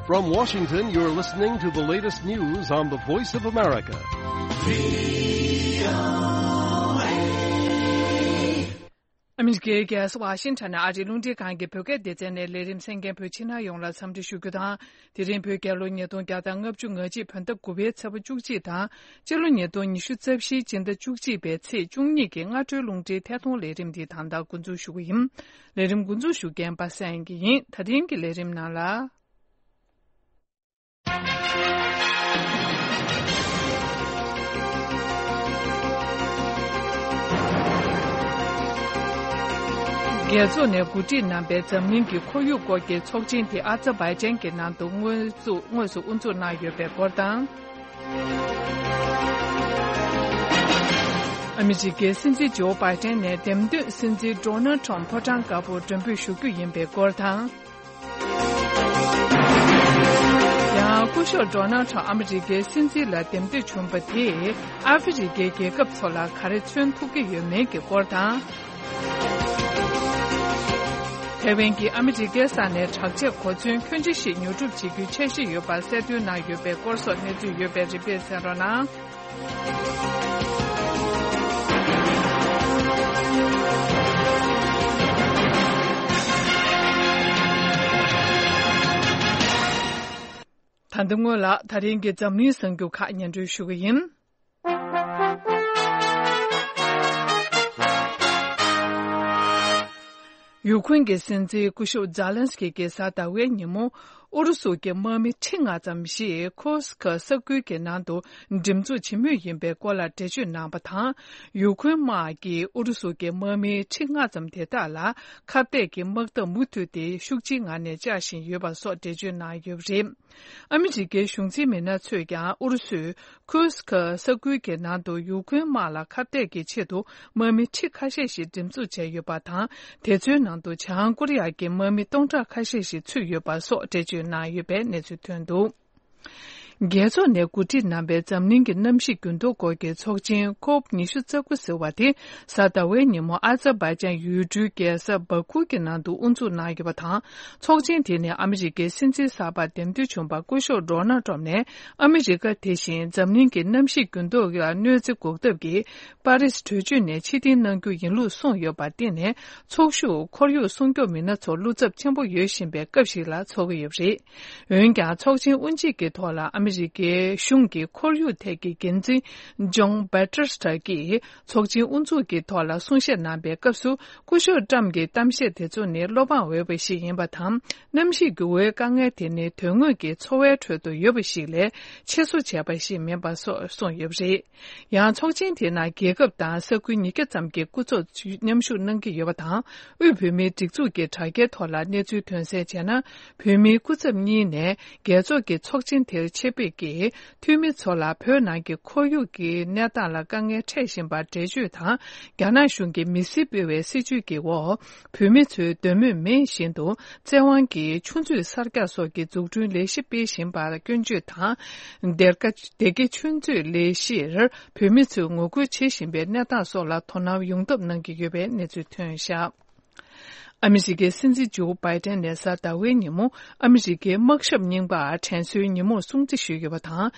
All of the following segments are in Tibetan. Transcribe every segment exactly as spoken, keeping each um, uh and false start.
From Washington, you're listening to the latest news on the Voice of America. ཨ་མི་རི་ཀའི་རྒྱལ་ས་ཝ་ཤིང་ཊོན་ནས་ཨ་རིའི་རླུང་འཕྲིན་ཁང་གི་བོད་སྐད་སྡེ་ཚན་ནས་ལས་རིམ་གསན་མཁན་བོད་ཕྱི་ནང་ཡོངས་ལ་འཚམས་འདྲི་ཞུ་རྒྱུ་དང་། དེ་རིང་བོད་རྒྱལ་ལོ་ཉིས་སྟོང་བརྒྱ་དང་ལྔ་བཅུ་ང་གཅིག་བོད་ཟླ་དགུ་པའི་ཚེས་པ་བཅུ་གཅིག་དང་། སྤྱི་ལོ་ཉིས་སྟོང་ཉི་ཤུ་རྩ་བཞིའི་སྤྱི་ཟླ་བཅུ་གཅིག་པའི་ཚེས་བཅུ་གཉིས་ཀྱི་སྔ་དྲོའི་རླུང་འཕྲིན་ཐད་གཏོང་ལས་རིམ་འདི་ད་ལྟ་འགོ་འཛུགས་ཞུ་གི་ཡིན། ལས་རིམ་འགོ་འཛུགས་ཞུ་མཁན་པ་སངས་སྐྱིད་ཡིན། ད་རིང་གི་ལས་རིམ་ནང་ལ། རྒྱལ་ཚོགས་ནས་གོ་སྒྲིག་གནང་པའི་འཛམ་གླིང་གི་ཁོར་ཡུག་སྐོར་གྱི་ཚོགས་ཆེན་དེ་ཨ་ཛར་བྷའི་ཅན་གྱི་ནང་དུ་དངོས་སུ་དངོས་སུ་དབུ་འཛུགས་གནང་ཡོད་པའི་སྐོར་དང་། ཨ་མི་རི་ཀའི་སྲིད་འཛིན་ཇོ་བྷའི་ཏན་ནས་འདེམས་ཐོན་སྲིད་འཛིན་ཌོ་ནལ་ཁྲོམ་ཕོ་བྲང་དཀར་པོར་མགྲོན་འབོད་ཞུ་རྒྱུ་ཡིན་པའི་སྐོར་དང་། ཡང་སྐུ་ཞབས་ཌོ་ནལ་ཁྲོམ་ཨ་མི་རི་ཀའི་སྲིད་འཛིན་ལ་འདེམས་ཐོན་བྱུང་བ་དེས་ཨ་ཧྥེ་རི་ཀའི་རྒྱལ་ཁབ་ཚོ་ལ་ག་རེ་མཚོན་ཐུབ་ཀྱི་ཡོད་མེད་ཀྱི་སྐོར་དང་། ཐའེ་ཝན་གྱིས་ཨ་མི་རི་ཀའི་ས་ནས་དྲག་ཆས་གོ་མཚོན་ཁྱོན་ཆེ་ཞིག་ཉོ་སྒྲུབ་བྱེད་རྒྱུའི་འཆར་གཞི་ཡོད་པ་གསལ་སྟོན་གནང་ཡོད་པའི་སྐོར་སོགས་གནས་ཚུལ་ཡོད་པའི་རིམ་པས་གསན་རོགས་གནང་། ད་ལྟ་སྔོན་ལ་ད་རིང་གི་འཛམ་གླིང་གསར་འགྱུར་ཁག་སྙན་སྒྲོན་ཞུ་གི་ཡིན། ཡུ་ཁུན་གྱི་སྲིད་འཛིན་སྐུ་ཞབས་ཛཱ་ལན་སི་ཀི་གིས་གཟའ་ཟླ་བའི་ཉིན་མོ་ཨུ་རུ་སུ་གྱི་དམག་མི་ཁྲི་ལྔ་ཙམ་ཞིག་ཁུར་སི་ཁ་ས་ཁུལ་གྱི་ནང་དུ་འགྲེམས་འཛུགས་བྱེད་མུས་ཡིན་པའི་སྐོར་ལ་འགྲེལ་བརྗོད་གནང་བ་དང་། ཡུ་ཁུན་དམག་གིས་ཨུ་རུ་སུ་གྱི་དམག་མི་ཁྲི་ལྔ་ཙམ་དེ་དག་ལ་ཁ་གཏད་ཀྱི་དམག་འཐབ་མུ་མཐུད་དེ་ཤུགས་ཆེའི་ངང་ནས་བཅག་བཞིན་ཡོད་པ་སོགས་འགྲེལ་བརྗོད་གནང་ཡོད་པ་རེད། ཨ་མི་རི་ཀའི་གཞུང་འཛིན་མི་སྣ་ཚོས་ཀྱང་ཨུ་རུ་སུས་ཁུར་སི་ཁ་ས་ཁུལ་གྱི་ནང་དུ་ཡུ་ཁུན་དམག་ལ་ཁ་གཏད་ཀྱི་ཆེད་དུ་དམག་མི་ཁྲི་ཁ་ཤས་ཤིག་འགྲེམས་འཛུགས་བྱས་ཡོད་པ་དང་། དེ་ཚོའི་ནང་དུ་བྱང་ཀོ་རི་ཡ་གྱི་དམག་མི་སྟོང་ཕྲག་ཁ་ཤས་ཤིག་ཚུད་ཡོད་པ་སོགས་འགྲེལ་བརྗོད་གནང་ཡོད་པའི་གནས་ཚུལ་ཐོན་འདུག། རྒྱལ་ཚོགས་ནས་གོ་སྒྲིག་གནང་པའི་འཛམ་གླིང་གི་གནམ་གཤིས་འགྱུར་ལྡོག་སྐོར་གྱི་ཚོགས་ཆེན་ཁོབ་ཉི་ཤུ་རྩ་དགུ་ཟེར་བ་དེ་གཟའ་ཟླ་བའི་ཉིན་མོ་ཨ་ཛར་བྷའི་ཅན་ཡུལ་གྲུའི་རྒྱལ་ས་བྷ་ཁུ་གི་ནང་དུ་དབུ་འཛུགས་གནང་ཡོད་པ་དང་། ཚོགས་ཆེན་དེ་ནི་ཨ་མི་རི་ཀའི་སྲིད་འཛིན་གསར་པར་འདེམས་ཐོན་བྱུང་བ་སྐུ་ཞབས་ཌོ་ནལ་ཏྲམ་ནས་ཨ་མི་རི་ཀ་དེ་བཞིན་འཛམ་གླིང་གི་གནམ་གཤིས་འགྱུར་ལྡོག་ལ་གནོད་འཚེ་འགོག་ཐབས་ཀྱི་པ་རིས་གྲོས་ཆོད་ནས་ཕྱིར་འཐེན་གནང་རྒྱུ་ཡིན་ལུགས་གསུངས་ཡོད་པར་བརྟེན་ནས། ཚོགས་ཞུགས་ཁོར་ཡུག་སྲུང་སྐྱོབ་མི་སྣ་ཚོར་བློ་འཚབ་ཆེན་པོ་ཡོད་བཞིན་པའི་སྐབས་ཤིག་ལ་འཚོགས་ཀྱི་ཡོད་པ་རེད། འོན་ཀྱང་། ཚོགས་ཆེན་དབུ་འབྱེད་ཀྱི་ཐོག་ལ་ཨ་མི་རི་ཀའི་གཞུང་གི་ཁོར་ཡུག་ཐད་ཀྱི་འགན་འཛིན་ཇོན་བྷེ་ཏྲ་ཊ་གིས་ཚོགས་ཆེན་དབུ་འཛུགས་ཀྱི་ཐོག་ལ་གསུང་བཤད་གནང་པའི་སྐབས་སུ། སྐུ་ཞབས་ཏྲམ་གྱི་གཏམ་བཤད་དེ་ཚོ་ནི་བློ་ཕངས་འོས་པ་ཞིག་ཡིན་པ་དང་། གནམ་གཤིས་འགྱུར་བའི་དཀའ་ངལ་དེ་ནི་དོན་དངོས་ཀྱི་འཚོ་བའི་ཁྲོད་དུ་ཡོད་པ་ཞིག་ལས་ཆེད་བཟོ་བྱས་པ་ཞིག་མིན་པ་སོགས་གསུངས་ཡོད་པ་རེད། ཡང་། ཚོགས་ཆེན་དེའི་ནང་རྒྱལ་ཁབ་དང་ས་ཁུལ་ཉིས་བརྒྱ་ཙམ་གྱི་སྐུ་ཚབ་མཉམ་ཞུགས་གནང་གི་ཡོད་པ་དང་། དབུས་བོད་མིའི་སྒྲིག་འཛུགས་ཀྱི་དྲ་རྒྱའི་ཐོག་ལ་གནས་ཚུལ་ཐོན་གསལ་བྱས་ན། བོད་མིའི་སྐུ་ཚབ་གཉིས་ནས་རྒྱལ་ཚོགས་ཀྱི་ཚོགས་ཆེན་དེར་ཆེད་ཕེབས་ཀྱིས་འཐུས་མི་ཚོ་ལ་བོད་ནང་གི་ཁོར་ཡུག་གི་གནས་སྟངས་ལ་དཀའ་ངལ་འཕྲད་བཞིན་པར་འགྲེལ་བརྗོད་དང་། རྒྱ་ནག་གཞུང་གིས་མི་སེར་སྤེལ་བའི་སྲིད་བྱུས་ཀྱི་འོག་བོད་མི་ཚོའི་འདོད་མོས་མེད་བཞིན་དུ་བཙན་དབང་གིས་ཆུ་མཛོད་གསར་རྒྱག་སོགས་ཀྱི་འཛུགས་སྐྲུན་ལས་གཞི་སྤེལ་བཞིན་པར་སྐྱོན་བརྗོད་དང་། སྡེར་ཁ། སྡེ་དགེ་ཆུ་མཛོད་ལས་གཞིར་བོད་མི་ཚོས་ངོ་རྒོལ་བྱེད་བཞིན་པའི་གནས་སྟངས་སོགས་ལ་དོ་སྣང་ཡོང་ཐབས་གནང་གི་ཡོད་པའི་གནས་ཚུལ་ཐོན་བཞག། ཨ་མི་རི་ཀའི་སྲིད་འཛིན་ཇོ་བྷའི་ཏན་ནས་གཟའ་ཟླ་བའི་ཉིན་མོ་ཨ་མི་རི་ཀའི་དམག་ཞབས་རྙིང་པར་དྲན་གསོའི་ཉིན་མོར་སྲུང་བརྩི་ཞུས་ཡོད་པ་དང་།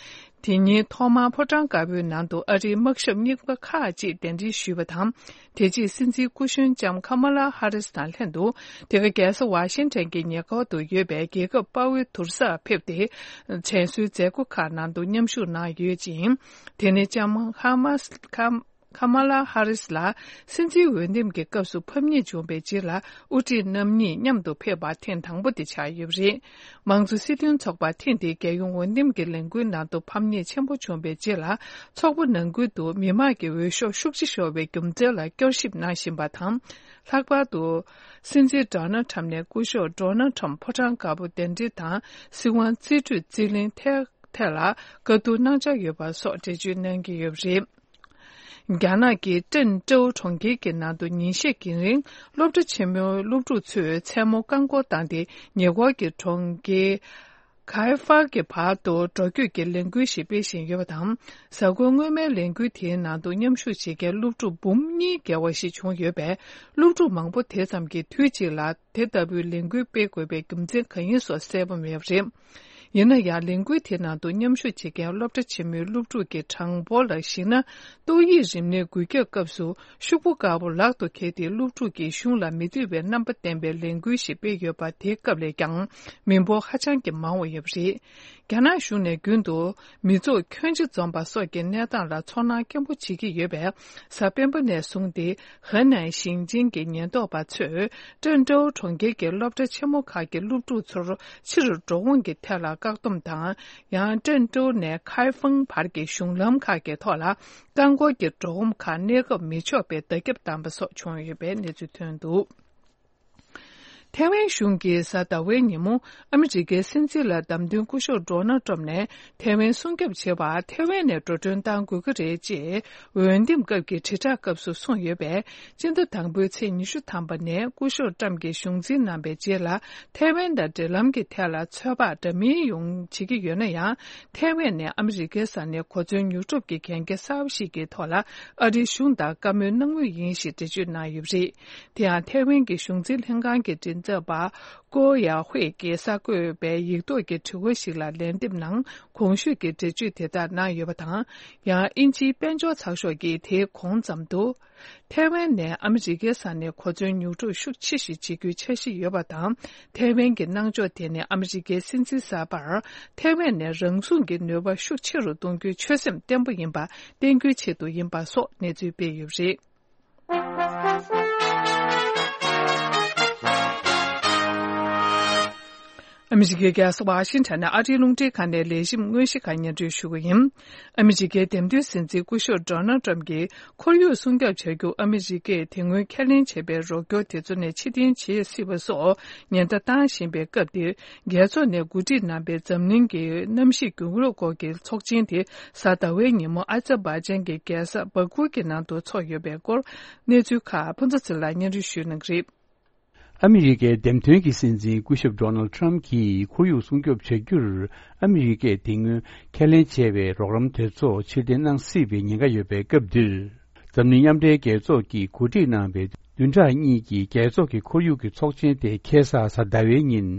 དེ་ཉིན་ཐོག་མར་ཕོ་བྲང་དཀར་པོའི་ནང་དུ་ཨ་རིའི་དམག་ཞབས་རྙིང་པ་ཁག་ཅིག་གདན་འདྲེན་ཞུས་པ་དང་། དེ་རྗེས་སྲིད་འཛིན་སྐུ་གཞོན་ལྕམ་ཁ་མ་ལ་ཧ་རིས་དང་ལྷན་དུ། དེ་ག་རྒྱལ་ས་ཝ་ཤིང་ཊོན་གྱི་ཉེ་འཁོར་དུ་ཡོད་པའི་རྒྱལ་ཁབ་དཔའ་བོའི་དུར་སར་ཕེབས་ཏེ། དྲན་གསོའི་མཛད་སྒོ་ཁག་ནང་དུ་མཉམ་ཞུགས་གནང་ཡོད་ཅིང་། དེ་ནི་ལྕམ་ཁ་མ་ཁ་ཁ་མ་ལ་ཧ་རིས་ལ་སྲིད་འཛིན་འོས་འདེམས་ཀྱི་སྐབས་སུ་ཕམ་ཉེས་བྱུང་བའི་རྗེས་ལ། དབུ་ཁྲིད་རྣམ་གཉིས་མཉམ་དུ་ཕེབས་པ་ཐེངས་དང་པོ་དེ་ཆགས་ཡོད་པ་རེད། མང་གཙོ་སྲིད་དོན་ཚོགས་པ་ཐེངས་འདིའི་རྒྱལ་ཡོངས་འོས་འདེམས་ཀྱི་ལས་འགུལ་ནང་དུ་ཕམ་ཉེས་ཆེན་པོ་བྱུང་བའི་རྗེས་ལ། ཚོགས་པ་ནང་ཁུལ་དུ་མི་མང་གི་འོས་ཤོག་ཤུགས་ཆེ་ཤོར་བའི་རྒྱུ་མཚན་ལ་བསྐྱར་ཞིབ་གནང་བཞིན་པ་དང་། ལྷག་པར་དུ། སྲིད་འཛིན་ཌོ་ནལ་ཁྲམ་ནས་སྐུ་ཞབས་ཌོ་ནལ་ཁྲམ་ཕོ་བྲང་དཀར་པོ་གདན་འདྲེན་དང་། སྲིད་དབང་རྩིས་སྤྲོད་རྩིས་ལེན་ཐད་ཐད་ལ་བཀའ་བསྡུར་གནང་འཆར་ཡོད་པ་སོགས་འགྲེལ་བརྗོད་གནང་གི་ཡོད་པ་རེད། རྒྱ་ནག་གི་ཀྲེན་ཀྲོའུ་གྲོང་ཁྱེར་གྱི་ནང་དུ་ཉིན་ཤས་ཀྱི་རིང་སློབ་གྲྭ་ཆེན་མོའི་སློབ་ཕྲུག་ཚོས་མཚན་མོ་རྐང་འཁོར་བཏང་སྟེ། ཉེ་འཁོར་གྱི་གྲོང་ཁྱེར་ཁའེ་ཧྥར་གྱི་བར་དུ་འགྲོ་སྐྱོད་ཀྱི་ལས་འགུལ་ཞིག་སྤེལ་བཞིན་ཡོད་པ་དང་། གཟའ་འཁོར་སྔོན་མའི་ལས་འགུལ་དེའི་ནང་དུ་མཉམ་ཞུགས་བྱེད་མཁན་སློབ་ཕྲུག་འབུམ་གཉིས་བརྒལ་བ་ཞིག་བྱུང་ཡོད་པས། སློབ་ཕྲུག་མང་པོ་དེ་ཙམ་གྱིས་དུས་གཅིག་ལ་དེ་ལྟ་བུའི་ལས་འགུལ་སྤེལ་དགོས་པའི་རྒྱུ་མཚན་གང་ཡིན་སོགས་གསལ་པོ་མེད་པ་རེད། ཡིན་ན་ཡང་ལས་འགུལ་དེའི་ནང་དུ་མཉམ་ཞུགས་བྱེད་མཁན་སློབ་གྲྭ་ཆེན་མོའི་སློབ་ཕྲུག་གི་གྲངས་འབོར་ལ་གཞིགས་ན། ཏོག་དབྱིབས་རིམས་ནད་འགོས་ཁྱབ་སྐབས་སུ་ཤོག་བུ་དཀར་པོ་ལག་ཏུ་འཁྱེར་ཏེ་སློབ་ཕྲུག་གིས་གཞུང་ལ་མི་འདོད་པའི་རྣམ་པ་བསྟན་པའི་ལས་འགུལ་ཞིག་སྤེལ་ཡོད་པ། དེའི་སྐབས་ལས་ཀྱང་མི་འབོར་ཧ་ཅང་གི་མང་བ་ཡོད་པ་རེད། རྒྱ་ནག་གཞུང་ནས་རྒྱུན་དུ་མི་ཚོགས་ཁྱོན་ཆེ་འཛོམས་པ་སོགས་ཀྱི་གནས་སྟངས་ལ་ཚོར་སྣང་སྐྱེན་པོ་བྱེད་ཀྱི་ཡོད་པས། གཟའ་སྤེན་པ་ནས་བཟུང་སྟེ་ཧེ་ནན་ཞིང་ཆེན་གྱི་ཉེན་རྟོག་པ་ཚོས་ཀྲེན་ཀྲོའུ་གྲོང་ཁྱེར་གྱི་སློབ་གྲྭ་ཆེན་མོ་ཁག་གི་སློབ་ཕྲུག་ཚོར་ཕྱིར་འགྲོ་འོང་གི་ཐད་ལ་བཀག་སྡོམ་དང་། ཡང་ཀྲེན་ཀྲོའུ་ནས་ཁའེ་ཧྥང་བར་གྱི་གཞུང་ལམ་ཁག་གི་ཐོག་ལ་རྐང་འཁོར་གྱི་འགྲོ་འོང་ཁག་གནས་སྐབས་མི་ཆོག་པའི་བརྡ་ཁྱབ་བཏང་པ་སོགས་བྱུང་ཡོད་པའི་གནས་ཚུལ་ཐོན་འདུག། ཐའེ་ཝན་གཞུང་གིས་གཟའ་ཟླ་བའི་ཉིན་མོ་ཨ་མི་རི་ཀའི་སྲིད་འཛིན་ལ་བདམས་ཐོན་སྐུ་ཞབས་ཌོ་ནལ་ཊམ་ནས་ཐའེ་ཝན་སྲུང་སྐྱོབ་བྱེད་པར་ཐའེ་ཝན་ནས་འགྲོ་གྲོན་གཏང་དགོས་ཀྱི་རེད་ཅེས་འོས་འདེམས་སྐབས་ཀྱི་དྲིལ་བསྒྲགས་སྐབས་སུ་གསུངས་ཡོད་པས། སྤྱི་ཟླ་དང་པོའི་ཚེས་ཉི་ཤུ་ཐམ་པ་ནས་སྐུ་ཞབས་ཊམ་གྱིས་གཞུང་འཛིན་གནང་བའི་རྗེས་ལ་ཐའེ་ཝན་དང་འབྲེལ་ལམ་གྱི་ཐད་ལ་ཚོད་དཔག་འདྲ་མིན་ཡོང་བྱེད་ཀྱི་ཡོད་ན་ཡང་། ཐའེ་ཝན་ནས་ཨ་མི་རི་ཀའི་ས་ནས་གོ་མཚོན་ཉོ་སྒྲུབ་ཀྱི་གན་རྒྱ་གསར་པ་ཞིག་གི་ཐོག་ལ་ཨ་རིའི་གཞུང་དང་བཀའ་མོལ་གནང་མུས་ཡིན་ཞེས་འགྲེལ་བརྗོད་གནང་ཡོད་པ་རེད། དེ་ཡང་ཐའེ་ཝན་གྱི་གཞུང་འཛིན་ལྷན་ཁང་གི་མགྲིན་ཚབ་པ་ཀོ་ཡ་ཧུའེ་ཀྱིས་གསར་འགོད་པའི་ཡིག་ཐོག་གི་དྲི་བ་ཞིག་ལ་ལན་འདེབས་ནང་གོང་ཞུས་ཀྱི་འགྲེལ་བརྗོད་དེ་དག་གནང་ཡོད་པ་དང་། ཡང་དབྱིན་ཇིའི་དཔལ་འབྱོར་ཚགས་ཤོག་གིས་དེའི་གོང་ཙམ་དུ། ཐའེ་ཝན་ནས་ཨ་མི་རི་ཀའི་ས་ནས་གོ་མཚོན་ཉོ་སྒྲུབ་ཤུགས་ཆེ་ཞིག་བྱེད་རྒྱུའི་འཆར་གཞི་ཡོད་པ་དང་། ཐའེ་ཝན་གྱི་གནང་ཕྱོགས་དེ་ནི་ཨ་མི་རི་ཀའི་སྲིད་འཛིན་གསར་པར་ཐའེ་ཝན་ནས་རང་སྲུང་གི་ནུས་པ་ཤུགས་ཆེ་རུ་གཏོང་རྒྱུའི་ཆོད་སེམས་བརྟན་པོ་ཡིན་པ་བསྟན་རྒྱུའི་ཆེད་དུ་ཡིན་པ་སོགས་གནས་ཚུལ་སྤེལ་ཡོད་པ་རེད། ཨ་མི་རི་ཀའི་རྒྱལ་ས་ཝ་ཤིང་ཊོན་ནས་ཨ་རིའི་རླུང་འཕྲིན་ཁང་ནས་ལས་ཞིབ་དངོས་གཞི་ཁག་སྙན་སྒྲོན་ཞུ་གི་ཡིན། ཨ་མི་རི་ཀའི་འདེམས་ཐོན་སྲིད་འཛིན་སྐུ་ཞབས་ཌོ་ནལ་ཊམ་གྱིས་ཁོར་ཡུག་སྲུང་སྐྱོབ་བྱ་རྒྱུར་ཨ་མི་རི་ཀས་དེ་སྔོན་ཁས་ལེན་བྱས་པའི་རོགས་སྐྱོར་དེ་ཚོ་ནས་ཕྱིར་འཐེན་བྱེད་སྲིད་པ་སོགས་ཉེན་བརྡ་བཏང་བཞིན་པའི་སྐབས་འདིར། རྒྱལ་ཚོགས་ནས་གོ་སྒྲིག་གནང་པའི་འཛམ་གླིང་གི་གནམ་གཤིས་འགྱུར་ལྡོག་སྐོར་གྱི་ཚོགས་ཆེན་དེ་གཟའ་ཟླ་བའི་ཉིན་མོ་ཨ་ཛར་བྷ་ཇན་གྱི་རྒྱལ་ས་སྦ་ཁུ་གྱི་ནང་དུ་འཚོགས་ཡོད་པའི་སྐོར། གནས་ཚུལ་ཁག་ཕུན་ཚོགས་ཚེ་ལགས་སྙན་སྒྲོན་ཞུ་གནང་གི་རེད། ཨ་མི་རི་ཀའི་འདེམས་ཐོན་གྱི་སྲིད་འཛིན་སྐུ་ཞབས་ཌོ་ནལ་ཊམ་གྱིས་ཁོར་ཡུག་སྲུང་སྐྱོབ་བྱ་རྒྱུར་ཨ་མི་རི་ཀས་དེ་སྔོན་ཁས་ལེན་བྱས་པའི་རོགས་རམ་དེ་ཚོ་ཕྱིར་འཐེན་གནང་སྲིད་པའི་ཉེན་ཁ་ཡོད་པའི་སྐབས་འདིར། འཛམ་གླིང་མཉམ་འབྲེལ་རྒྱལ་ཚོགས་ཀྱིས་གོ་སྒྲིག་གནང་བའི་བདུན་ཕྲག་གཉིས་ཀྱི་རྒྱལ་ཚོགས་ཀྱི་ཁོར་ཡུག་གི་ཚོགས་ཆེན་དེ་ཁ་སང་གཟའ་ཟླ་བའི་ཉིན།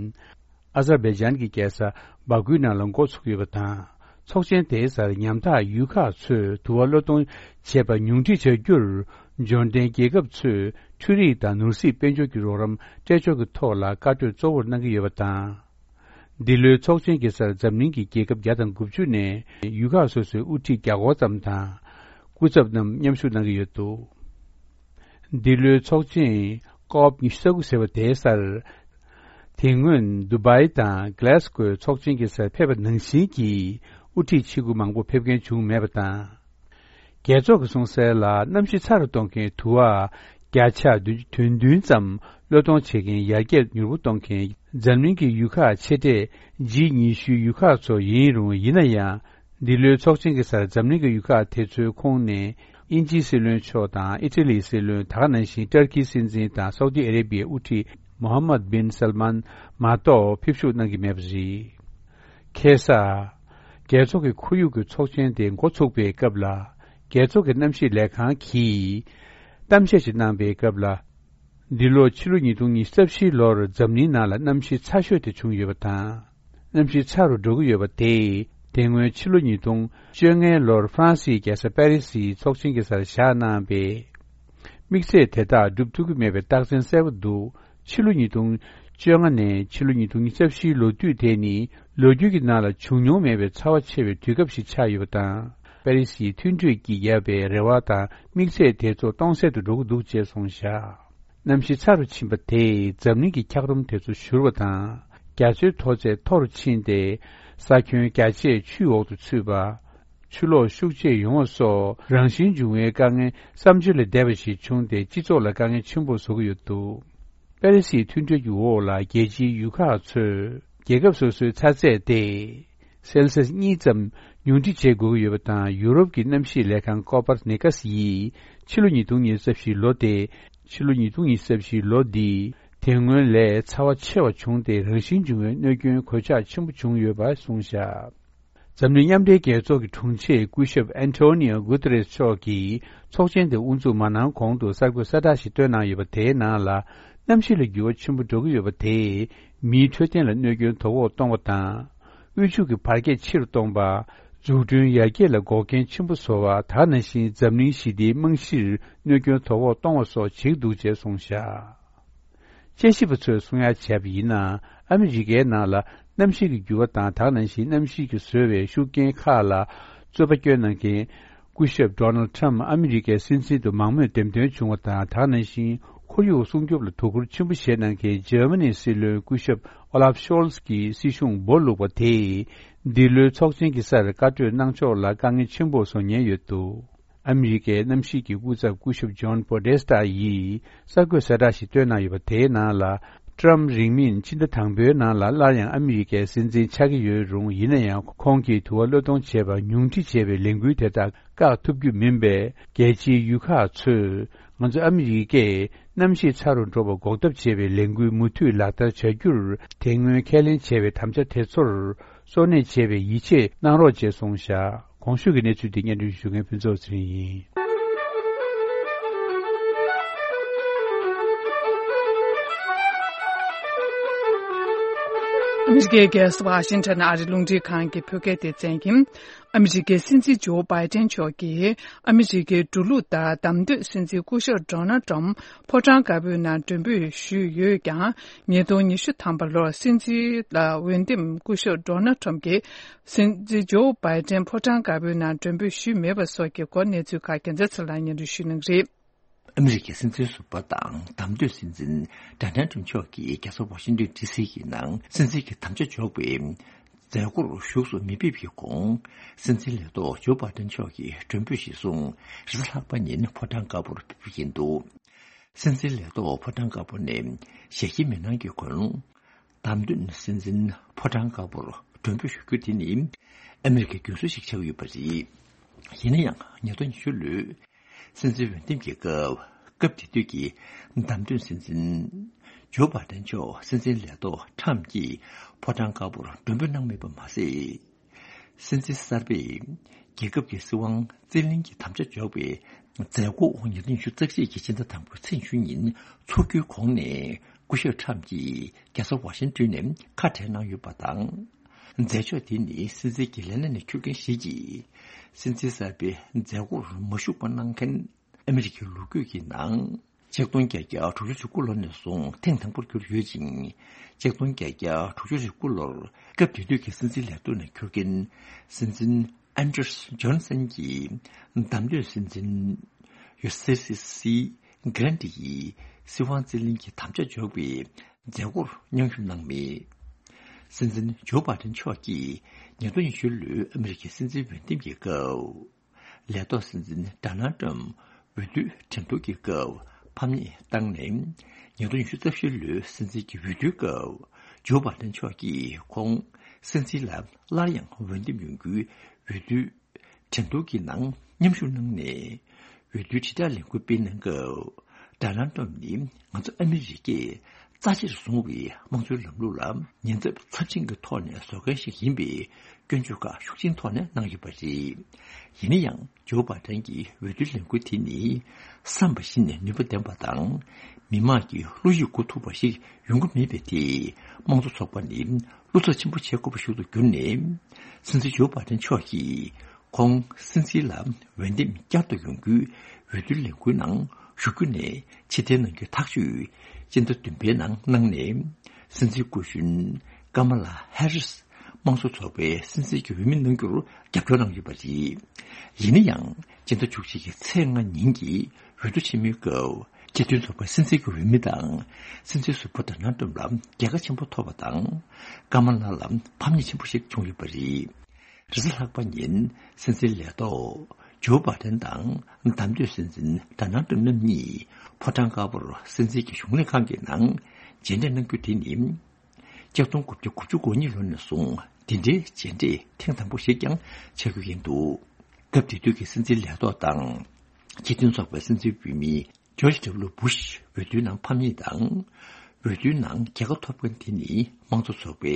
ཨ་ཛར་བྷེ་ཇན་གྱི་རྒྱལ་ས་སྦ་ཁུའི་ནང་ལ་འགོ་ཚུགས་ཡོད་པ་དང་། ཚོགས་ཆེན་དེའི་སར་ཉམ་ཐག་ཡུལ་ཁག་ཚོས་དུ་བ་གློད་གཏོང་བྱེད་པ་ཉུང་འཕྲི་བྱ་རྒྱུར། འབྱོར་ལྡན་རྒྱལ་ཁབ་ཚོས་འཕྲུལ་རིག་དང་ནོར་སྲིད་དཔལ་འབྱོར་གྱི་རོགས་རམ་སྤྲད་ཕྱོགས་ཀྱི་ཐོག་ལ་བཀའ་གྲོས་གཙོ་བོར་གནང་གི་ཡོད་པ་དང་། འདི་ལོའི་ཚོགས་ཆེན་གྱི་སར་འཛམ་གླིང་གི་རྒྱལ་ཁབ་བརྒྱ་དང་དགུ་བཅུ་ནས་ཡུལ་ཁག་སོ་སོའི་དབུ་ཁྲིད་བརྒྱ་སྐོར་ཙམ་དང་། སྐུ་ཚབ་རྣམས་མཉམ་ཞུགས་གནང་གི་ཡོད་འདུག། འདི་ལོའི་ཚོགས་ཆེན་ཀོབ་ཉི་ཤུ་རྩ་དགུ་ཟེར་བ་དེའི་སར། དེ་སྔོན་དུ་བྷའི་དང་གྷ་ལེ་སི་ཀོའི་ཚོགས་ཆེན་གྱི་སར་ཕེབས་པ་ནང་བཞིན་གྱི་དབུ་ཁྲིད་ཆེ་དགུ་མང་པོ་ཕེབས་མཁན་བྱུང་མེད་པ་དང་། རྒྱལ་ཚོགས་ཀྱིས་གསུངས་གསལ་ལ། གནམ་གཤིས་ཚ་རུ་གཏོང་མཁན་དུ་བ་བརྒྱ་ཆ་དོན་བདུན་ཙམ་གློད་གཏོང་བྱེད་མཁན་ཡར་རྒྱས་མྱུར་པོ་གཏོང་མཁན་འཛམ་གླིང་གི་ཡུལ་ཁག་ཆེ་གྲས་ཇི་ཉི་ཤུའི་ཡུལ་ཁག་ཚོ་ཡིན་རུང་། ཡིན་ན་ཡང་། འདི་ལོའི་ཚོགས་ཆེན་གྱི་སར་འཛམ་གླིང་གི་ཡུལ་ཁག་དེ་ཚོའི་ཁོངས་ནས་དབྱིན་ཇིའི་སྲིད་བློན་མཆོག་དང་ཨི་ཊ་ལིའི་སྲིད་བློན། ད་ག་ནང་བཞིན་ཏུར་ཀིའི་སྲིད་འཛིན་དང་སའུ་ཏི་ཨ་རེ་བྷི་ཡའི་དབུ་ཁྲིད་མོ་ཧམ་མད་བྷིན་སལ་མཱན་མ་གཏོགས་ཕེབས་ཞུགས་གནང་གི་མེད་པ་རེད། ཁ་སང་། རྒྱལ་ཚོགས་ཀྱི་ཁོར་ཡུག་གི་ཚོགས་ཆེན་དེ་འགོ་ཚུགས་པའི་སྐབས་ལ། རྒྱལ་ཚོགས་ཀྱི་གནམ་གཤིས་ལས་ཁང་གིས་གཏམ་བཤད་ཅིག་གནང་པའི་སྐབས་ལ། འདི་ལོ་ཕྱི་ལོ་ཉིས་སྟོང་ཉི་ཤུ་རྩ་བཞིའི་ལོར་འཛམ་གླིང་ནང་ལ་གནམ་གཤིས་ཚ་ཤོས་དེ་བྱུང་ཡོད་པ་དང་། གནམ་གཤིས་ཚ་རུ་འགྲོ་གི་ཡོད་པ་དེས། དེ་སྔོན་ཕྱི་ལོ་ཉིས་སྟོང་བཅོ་ལྔའི་ལོར་ཧྥ་རན་སིའི་རྒྱལ་ས་པེ་རི་སིའི་ཚོགས་ཆེན་གྱི་སར་བཞག་གནང་བའི་དམིགས་ཚད་དེ་དག་འགྲུབ་ཐུབ་ཀྱི་མེད་པའི་རྟགས་མཚན་གསལ་པོ་འདུག། ཕྱི་ལོ་ཉིས་སྟོང་བཅོ་ལྔ་ནས་ཕྱི་ལོ་ཉིས་སྟོང་ཉི་ཤུ་རྩ་བཞིའི་ལོ་དུས་དེ་ནི་ལོ་རྒྱུས་ཀྱི་ནང་ལ་བྱུང་མྱོང་མེད་པའི་ཚ་བ་ཆེ་བའི་དུས་སྐབས་ཤིག་ཆགས་ཡོད་པ་དང་། པེ་རི་སིའི་མཐུན་གྲོས་ཀྱིས་བརྒྱབ་པའི་རེ་བ་དང་དམིགས་ཚད་དེ་ཚོ་སྟོང་ཟད་དུ་འགྲོ་གི་འདུག་ཅེས་གསུངས་བཞག། གནམ་གཤིས་ཚ་རུ་ཕྱིན་པ་དེས་འཛམ་གླིང་གི་འཁྱགས་རོམ་དེ་ཚོ་བཞུར་བ་དང་། རྒྱ་མཚོའི་མཐོ་ཚད་མཐོ་རུ་ཕྱིན་ཏེ། ས་ཁྱོན་རྒྱ་ཆེ་ཆུའི་འོག་ཏུ་ཚུད་པ། ཆུ་ལོག་ཤུགས་ཆེ་ཡོང་བ་སོགས་རང་བཞིན་འབྱུང་བའི་དཀའ་ངལ་བསམ་བརྗོད་ལས་འདས་པ་ཞིག་བྱུང་སྟེ། སྤྱི་ཚོགས་ལ་དཀའ་ངལ་ཆེན་པོ་བཟོ་གི་ཡོད་འདུག། པེ་རི་སིའི་མཐུན་གྲོས་ཀྱི་འོག་ལ་རྒྱལ་སྤྱིའི་ཡུལ་ཁག་ཚོས་རྒྱལ་ཁབ་སོ་སོའི་ཚ་ཚད་དེ་སེལ་སི་ཡས་གཉིས་ཙམ་ཉུང་འཕྲི་བྱེད་དགོས་ཀྱི་ཡོད་པ་དང་། ཡུ་རོབ་ཀྱི་གནམ་གཤིས་ལས་ཁང་ཀོ་པར་ནི་ཀ་སི་ཡིས་ཕྱི་ལོ་ཉིས་སྟོང་ཉི་ཤུ་རྩ་བཞིའི་ལོ་དེ། ཕྱི་ལོ་ཉིས་སྟོང་ཉི་ཤུ་རྩ་བཞིའི་ལོ་འདི་དེ་སྔོན་ལས་ཚ་བ་ཆེ་བ་བྱུང་སྟེ། རང་བཞིན་འབྱུང་བའི་གནོད་སྐྱོན་གོད་ཆག་ཆེན་པོ་བྱུང་ཡོད་པ་གསུངས་བཞག། འཛམ་གླིང་མཉམ་འབྲེལ་རྒྱལ་ཚོགས་ཀྱི་དྲུང་ཆེ་སྐུ་ཞབས་ཨན་ཊོ་ནིའོ་གུ་ཏེ་རེས་མཆོག་གིས་ཚོགས་ཆེན་དེ་དབུ་འཛུགས་མ་གནང་གོང་དུ་གསར་འགོད་གསལ་བསྒྲགས་ཤིག་བཏོན་གནང་ཡོད་པ། དེའི་ནང་ལ། གནམ་གཤིས་ལ་འགྱུར་བ་ཆེན་པོ་འགྲོ་གི་ཡོད་པ་དེས་མིའི་འཕྲོད་བསྟེན་ལ་གནོད་སྐྱོན་དོ་ཕོག་གཏོང་བ་དང་། དབུལ་ཕྱུག་གི་བར་ཁྱད་ཆེ་རུ་གཏོང་བ། འཛུགས་སྐྲུན་ཡར་རྒྱས་ལ་འགོག་རྐྱེན་ཆེན་པོ་བཟོ་བ། ད་ག་ནང་བཞིན་འཛམ་གླིང་ཞི་བདེའི་རྨང་གཞིར་གནོད་སྐྱོན་དོ་ཕོག་གཏོང་བ་སོགས་བྱེད་ཀྱི་འདུག་ཅེས་གསུངས་བཞག་དཔྱད་ཞིབ་པ་ཚོས་གསུང་ཡ་བྱས་པ་ཡིན་ན། ཨ་མི་རི་ཀའི་ནང་ལ་གནམ་གཤིས་ཀྱི་འགྱུར་བ་དང་། ད་ག་ནང་བཞིན་གནམ་གཤིས་ཀྱིས་བཟོས་པའི་ཤུགས་རྐྱེན་ཁག་ལ་རྩོད་པ་སྐྱོན་གནང་མཁན་སྐུ་ཞབས་Donald Trump ཨ་མི་རི་ཀའི་སྲིད་འཛིན་དུ་མང་མོས་འདེམས་ཐོན་བྱུང་བ་དང་། ད་ག་ནང་བཞིན་ཁོར་ཡུག་སྲུང་སྐྱོབ་ལ་དོ་ཁུར་ཆེན་པོ་བྱས་གནང་མཁན་འཇར་མ་ནིའི་སྲིད་བློན་སྐུ་ཞབས་Olaf Scholz གྱིས་སྲིད་གཞུང་འབོར་བླུགས་པ་དེས་འདི་ལོའི་ཚོགས་ཆེན་གྱི་སར་བཀའ་གྲོས་གནང་ཕྱོགས་ལ་དཀའ་ངལ་ཆེན་པོ་བཟོ་ཉེན་ཡོད་འདུག་ཨ་མི་རི་ཀའི་གནམ་གཤིས་ཀྱི་སྐུ་ཚབ་སྐུ་ཞབས་Jon Podesta ཡིས་གསར་འགོད་གསལ་བསྒྲགས་ཤིག་བཏོན་གནང་ཡོད་པ། དེའི་ནང་ལ། ཀྲམ་རིང་མིན་ཕྱི་ཟླ་དང་པོའི་ནང་ལ་སླར་ཡང་ཨ་མི་རི་ཀའི་སྲིད་འཛིན་ཆགས་ཀྱི་ཡོད་རུང་། ཡིན་ན་ཡང་ཁོང་གིས་དུ་བ་གློད་གཏོང་བྱས་པར་ཉུང་འཕྲི་བྱས་པའི་ལས་འགུལ་དེ་དག་བཀག་ཐུབ་རྒྱུ་མིན་པས། རྒྱལ་སྤྱིའི་ཡུལ་ཁག་ཚོས་ང་ཚོ་ཨ་མི་རི་ཀས་གནམ་གཤིས་ཚ་རུ་འགྲོ་བར་འགོག་ཐབས་བྱེད་པའི་ལས་འགུལ་མུ་མཐུད་ལག་བསྟར་བྱ་རྒྱུར། དེ་སྔོན་ཁས་ལེན་བྱས་པའི་དམ་བཅའ་དེ་ཚོར་སོར་གནས་བྱེད་པའི་ཡིད་ཆེས་གནང་རོགས་ཅེས་གསུངས་བཞག་གོང་ཞུས་ཀྱི་གནས་ཚུལ་འདི་སྙན་སྒྲོན་ཞུ་མཁན་ཕུན་ཚོགས་ཚེ་རིང་ཡིན། ཨ་མི་རི་ཀའི་རྒྱལ་ས་ཝ་ཤིང་ཊོན་ཨ་རིའི་རླུང་འཕྲིན་ཁང་གི་བོད་སྐད་སྡེ་ཚན་གྱིས། ཨ་མི་རི་ཀའི་སྲིད་འཛིན་ཇོ་བྷའི་ཏན་མཆོག་གིས་ཨ་མི་རི་ཀའི་འགྲོ་ལུགས་ལྟར་བདམས་ཐོན་སྲིད་འཛིན་སྐུ་ཞབས་ཌོ་ནལ་ཏྲམ་ཕོ་བྲང་དཀར་པོའི་ནང་མགྲོན་འབོད་ཞུས་ཡོད་ཀྱང་། ཉིས་སྟོང་ཉི་ཤུ་ཐམ་པ་ལོར་སྲིད་འཛིན་ལ་འོས་འདེམས་སྐུ་ཞབས་ཌོ་ནལ་ཏྲམ་གྱིས་སྲིད་འཛིན་ཇོ་བྷའི་ཏན་ཕོ་བྲང་དཀར་པོའི་ནང་མགྲོན་འབོད་ཞུས་མེད་པ་སོགས་ཀྱི་སྐོར་གནས་ཚུལ་ཁག་རྒྱལ་མཚན་ཚེ་ལགས་སྙན་སྒྲོན་ཞུ་གནང་གི་རེད། ཨ་མི་རི་ཀའི་སྲིད་འཛིན་ཟུར་པ་དང་བདམས་ཐོན་སྲིད་འཛིན་ཌོ་ནལ་ཏྲམ་མཆོག་གིས་རྒྱལ་ས་ཝ་ཤིང་ཏོན་ཌི་སི་གི་ནང་སྲིད་འཛིན་གྱི་དམ་བཅའ་འཇོག་པའི་མཛད་སྒོར་ཞུགས་སུ་མི་ཕེབས་ཀྱི་གོང་། སྲིད་འཛིན་ལས་ཐོག་ཇོ་བྷའི་ཏན་མཆོག་གིས་མགྲོན་འབོད་གཞིར་བཟུང་རེས་གཟའ་ལྷག་པ་ཉིན་ཕོ་བྲང་དཀར་པོར་ཕེབས་ཀྱི་ཡིན་འདུག་སྲིད་འཛིན་ལས་ཐོག་ཕོ་བྲང་དཀར་པོ་ནས་ཞལ་གྱེས་མི་གནང་གི་གོང་། བདམས་ཐོན་སྲིད་འཛིན་ཕོ་བྲང་དཀར་པོར་མགྲོན་འབོད་ཞུ་རྒྱུ་དེ་ནི་ཨ་མི་རི་ཀའི་རྒྱུན་སྲོལ་ཞིག་ཆགས་ཡོད་པ་རེད། ཡིན་ན་ཡང་ཉིས་སྟོང་ཉི་ཤུ་ལོའི་སྲིད་འཛིན་འོས་འདེམས་ཀྱི་སྐབས། སྐབས་དེ་དུས་ཀྱི་བདམས་ཐོན་སྲིད་འཛིན་ཇོ་བྷའི་ཏན་མཆོག་སྲིད་འཛིན་ལས་ཐོག་ཊྲམ་གྱིས་ཕོ་བྲང་དཀར་པོར་མགྲོན་འབོད་གནང་མེད་པ་མ་ཟད། སྲིད་འཛིན་གསར་པས་རྒྱལ་ཁབ་ཀྱི་སྲིད་དབང་རྩིས་ལེན་གྱི་དམ་བཅའ་འཇོག་པའི་མཛད་སྒོ་ཉིས་སྟོང་ཉི་ཤུ་རྩ་གཅིག་གི་སྤྱི་ཟླ་དང་པོའི་ཚེས་ཉི་ཤུ་ཉིན་འཚོགས་རྒྱུའི་གོང་ནས། སྐུ་ཞབས་ཊྲམ་གྱིས་རྒྱལ་ས་ཝ་ཤིང་ཏོན་ནས་ཁ་བྲལ་གནང་ཡོད་པ་དང་། མཛད་ཕྱོགས་དེ་ནི་སྲིད་འཛིན་གྱི་ལས་གནས་ནས་འཁྱུར་མཁན་ཞིག་གིས་སྲིད་འཛིན་གསར་པའི་མཛད་སྒོར་མ་ཞུགས་པ་གནང་མཁན་ཨ་མི་རི་ཀའི་ལོ་རྒྱུས་ཀྱི་ནང་། ཆིག་སྟོང་བརྒྱད་བརྒྱ་དྲུག་ཅུ་རེ་དགུ་ལོ་ནས་བཟུང་ཐེངས་དང་པོར་གྱུར་ཡོད་ཅིང་། ཆིག་སྟོང་བརྒྱད་བརྒྱ་དྲུག་ཅུ་རེ་དགུ་ལོར་སྐབས་དེ་དུས་ཀྱི་སྲིད་འཛིན་ལས་ཐོག་ནས་འཁྱུར་མཁན་སྲིད་འཛིན་ཨན་ཌར་སི་ཇོན་སན་གྱིས་བདམས་ཐོན་སྲིད་འཛིན་ཡོ་སེ་སི་སི་གྷ་རན་ཏི་ཡི་སྲིད་དབང་རྩིས་ལེན་གྱི་དམ་བཅའ་འཇོག་པའི་མཛད་སྒོར་མཉམ་ཞུགས་གནང་མེད། སྲིད་འཛིན་ཇོ་བྷའི་ཏན་མཆོག་གིས་ཉིས་སྟོང་ཉི་ཤུ་ལོའི་ཨ་མི་རི་ཀའི་སྲིད་འཛིན་འོས་འདེམས་ཀྱི་སྐབས། ལས་ཐོག་སྲིད་འཛིན་ཌོ་ནལ་ཏྲམ་འོས་བསྡུའི་འགྲན་བསྡུར་གྱི་སྐབས་ཕམ་ཉེས་བཏང་ནས། ཉིས་སྟོང་ཉི་ཤུ་རྩ་བཞི་ལོའི་སྲིད་འཛིན་གྱི་འོས་བསྡུའི་སྐབས། ཇོ་བྷའི་ཏན་མཆོག་གིས་ཁོང་སྲིད་འཛིན་ལ་སླར་ཡང་འོས་འདེམས་ཡོང་རྒྱུའི་འོས་བསྡུའི་འགྲན་བསྡུར་གྱི་ནང་མཉམ་ཞུགས་གནང་ནས། འོས་བསྡུའི་དྲིལ་བསྒྲགས་ལས་འགུལ་སྤེལ་གནང་སྐབས། ཌོ་ནལ་ཏྲམ་ནི་ང་ཚོ་ཨ་མི་རི་ཀས་རྩ་ཆེར་བཟུང་བའི་དམངས་གཙོའི་ལམ་ལུགས་ལ་ཉེན་ཚབས་ཚབས་ཆེན་གྱི་ཐོག་ནས་བཟོ་མཁན་ཞིག་ཡིན་པའི་སྐྱོན་བརྗོད་ཁག་ཤུགས་ཆེན་ཐོག་ནས་གནང་ཡོད་པ་རེད། ཡིན་ན་ཡང་། ཇོ་བྷའི་ཏན་གྱི་འོས་བསྡུའི་ལས་འགུལ་དེ་ནི་བསམ་པ་བཞིན་ནུས་པ་ལྡན་པ་དང་། མི་མང་གི་བློ་ཡིད་འགུག་ཐུབ་པ་ཞིག་ཡོང་གི་མེད་པའི་ཐད། དམངས་གཙོ་ཚོགས་པ་ནི་བློ་འཚབ་ཆེན་པོ་བྱེད་དགོས་པ་ཞིག་ཏུ་གྱུར་ནས། སྲིད་འཛིན་ཇོ་བྷའི་ཏན་མཆོག་གིས་ཁོང་སྲིད་འཛིན་ལ་འོས་འདེམས་བསྐྱར་དུ་ཡོང་རྒྱུའི་འོས་བསྡུའི་ལས་འགུལ་ནང་ཞུགས་རྒྱུ་ནས་ཕྱིར་འཐེན་གནང་རྒྱུའི་ཐག་གཅོད་སྤྱི་ཟླ་བདུན་པའི་ནང་གནང་ནས། སྲིད་འཛིན་སྐུ་གཞོན་ཀ་མ་ལ་ཧེ་རིས་དམངས་གཙོ་ཚོགས་པའི་སྲིད་འཛིན་གྱི་འོས་མི་གནང་རྒྱུར་རྒྱབ་སྐྱོར་གནང་ཡོད་པ་རེད། ཡིན་ན་ཡང་། སྤྱི་ཟླ་བཅུ་གཅིག་གི་ཚེས་ལྔ་ཉིན་གྱི་འོས་བསྡུ་ཆེན་མོའི་སྐབས། སྤྱི་མཐུན་ཚོགས་པའི་སྲིད་འཛིན་གྱི་འོས་མི་དང་སྲིད་འཛིན་ཟུར་པ་ཌོ་ནལ་ཏྲམ་ལ་རྒྱལ་ཁ་ཆེན་པོ་ཐོབ་པ་དང་། ཀ་མ་ལ་ལ་ཕམ་ཉེས་ཆེན་པོ་ཞིག་བྱུང་ཡོད་པ་རེད། རེས་གཟའ་ལྷག་པ་ཉིན་སྲིད་འཛིན་ལས་ཐོག་ཇོ་བྷའི་ཏན་དང་བདམས་ཐོན་སྲིད་འཛིན་ཌོ་ནལ་ཏྲམ་རྣམ་གཉིས་ཕོ་བྲང་དཀར་པོར་སྲིད་འཛིན་གྱི་གཞུང་ལས་ཁང་གི་ནང་མཇལ་འཕྲད་གནང་རྒྱུ་དེ་ནི། ཆིག་སྟོང་དགུ་བརྒྱ་དགུ་བཅུ་གོ་གཉིས་ལོ་ནས་བཟུང་འདི་འདྲའི་མཇལ་འཕྲད་ཐེངས་དང་པོ་ཞིག་ཀྱང་ཆགས་རྒྱུ་ཡིན་འདུག་སྐབས་དེ་དུས་ཀྱི་སྲིད་འཛིན་ལས་ཐོག་དང་སྤྱི་མཐུན་ཚོགས་པའི་སྲིད་འཛིན་འོས་མི་ཇོརྗ་ཌབ་ལུ་བུཤ་འོས་བསྡུའི་ནང་ཕམ་ཉེས་དང་། འོས་བསྡུའི་ནང་རྒྱལ་ཁ་ཐོབ་མཁན་དེ་ནི་དམངས་གཙོ་ཚོགས་པའི་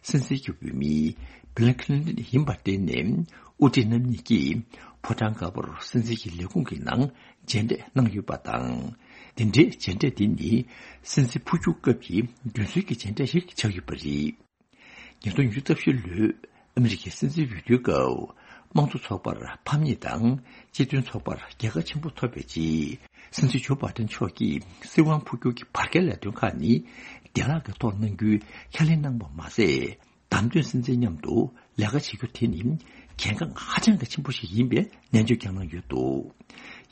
སྲིད་འཛིན་གྱི་འོས་མི་བྷིལ་ཁི་ལིན་ཏོན་ཡིན་པར་བརྟེན་ནས། དབུ་ཁྲིད་རྣམ་གཉིས་ཀྱིས་ཕོ་བྲང་དཀར་པོར་སྲིད་འཛིན་གྱི་ལས་ཁུངས་ཀྱི་ནང་མཇལ་འཕྲད་གནང་ཡོད་པ་དང་། འདི་འདྲའི་མཇལ་འཕྲད་འདི་ནི་སྲིད་འཛིན་འཕོ་འགྱུར་སྐབས་ཀྱི་རྒྱུན་སྲོལ་གྱི་མཇལ་འཕྲད་ཞིག་ཆགས་ཡོད་པ་རེད། ཉིས་སྟོང་ཉི་ཤུ་རྩ་བཞི་ལོའི་ཨ་མི་རི་ཀའི་སྲིད་འཛིན་འོས་བསྡུའི་སྐབས། དམངས་གཙོ་ཚོགས་པར་ཕམ་ཉེས་དང་སྤྱི་མཐུན་ཚོགས་པར་རྒྱལ་ཁ་ཆེན་པོ་ཐོབ་པའི་རྗེས། སྲིད་འཛིན་ཇོ་བྷའི་ཏན་མཆོག་གིས་སྲིད་དབང་འཕོ་འགྱུར་གྱི་བར་བརྒལ་ལས་དོན་ཁག་ནི་བདེ་བླག་གི་ཐོག་གནང་རྒྱུའི་ཁས་ལེན་གནང་བ་མ་ཟད། བདམས་ཐོན་སྲིད་འཛིན་མཉམ་དུ་ལས་ཀ་བྱེད་རྒྱུ་དེ་ནི་གལ་འགངས་ཧ་ཅང་གི་ཆེན་པོ་ཞིག་ཡིན་པའི་ནན་བརྗོད་ཀྱང་གནང་ཡོད་འདུག།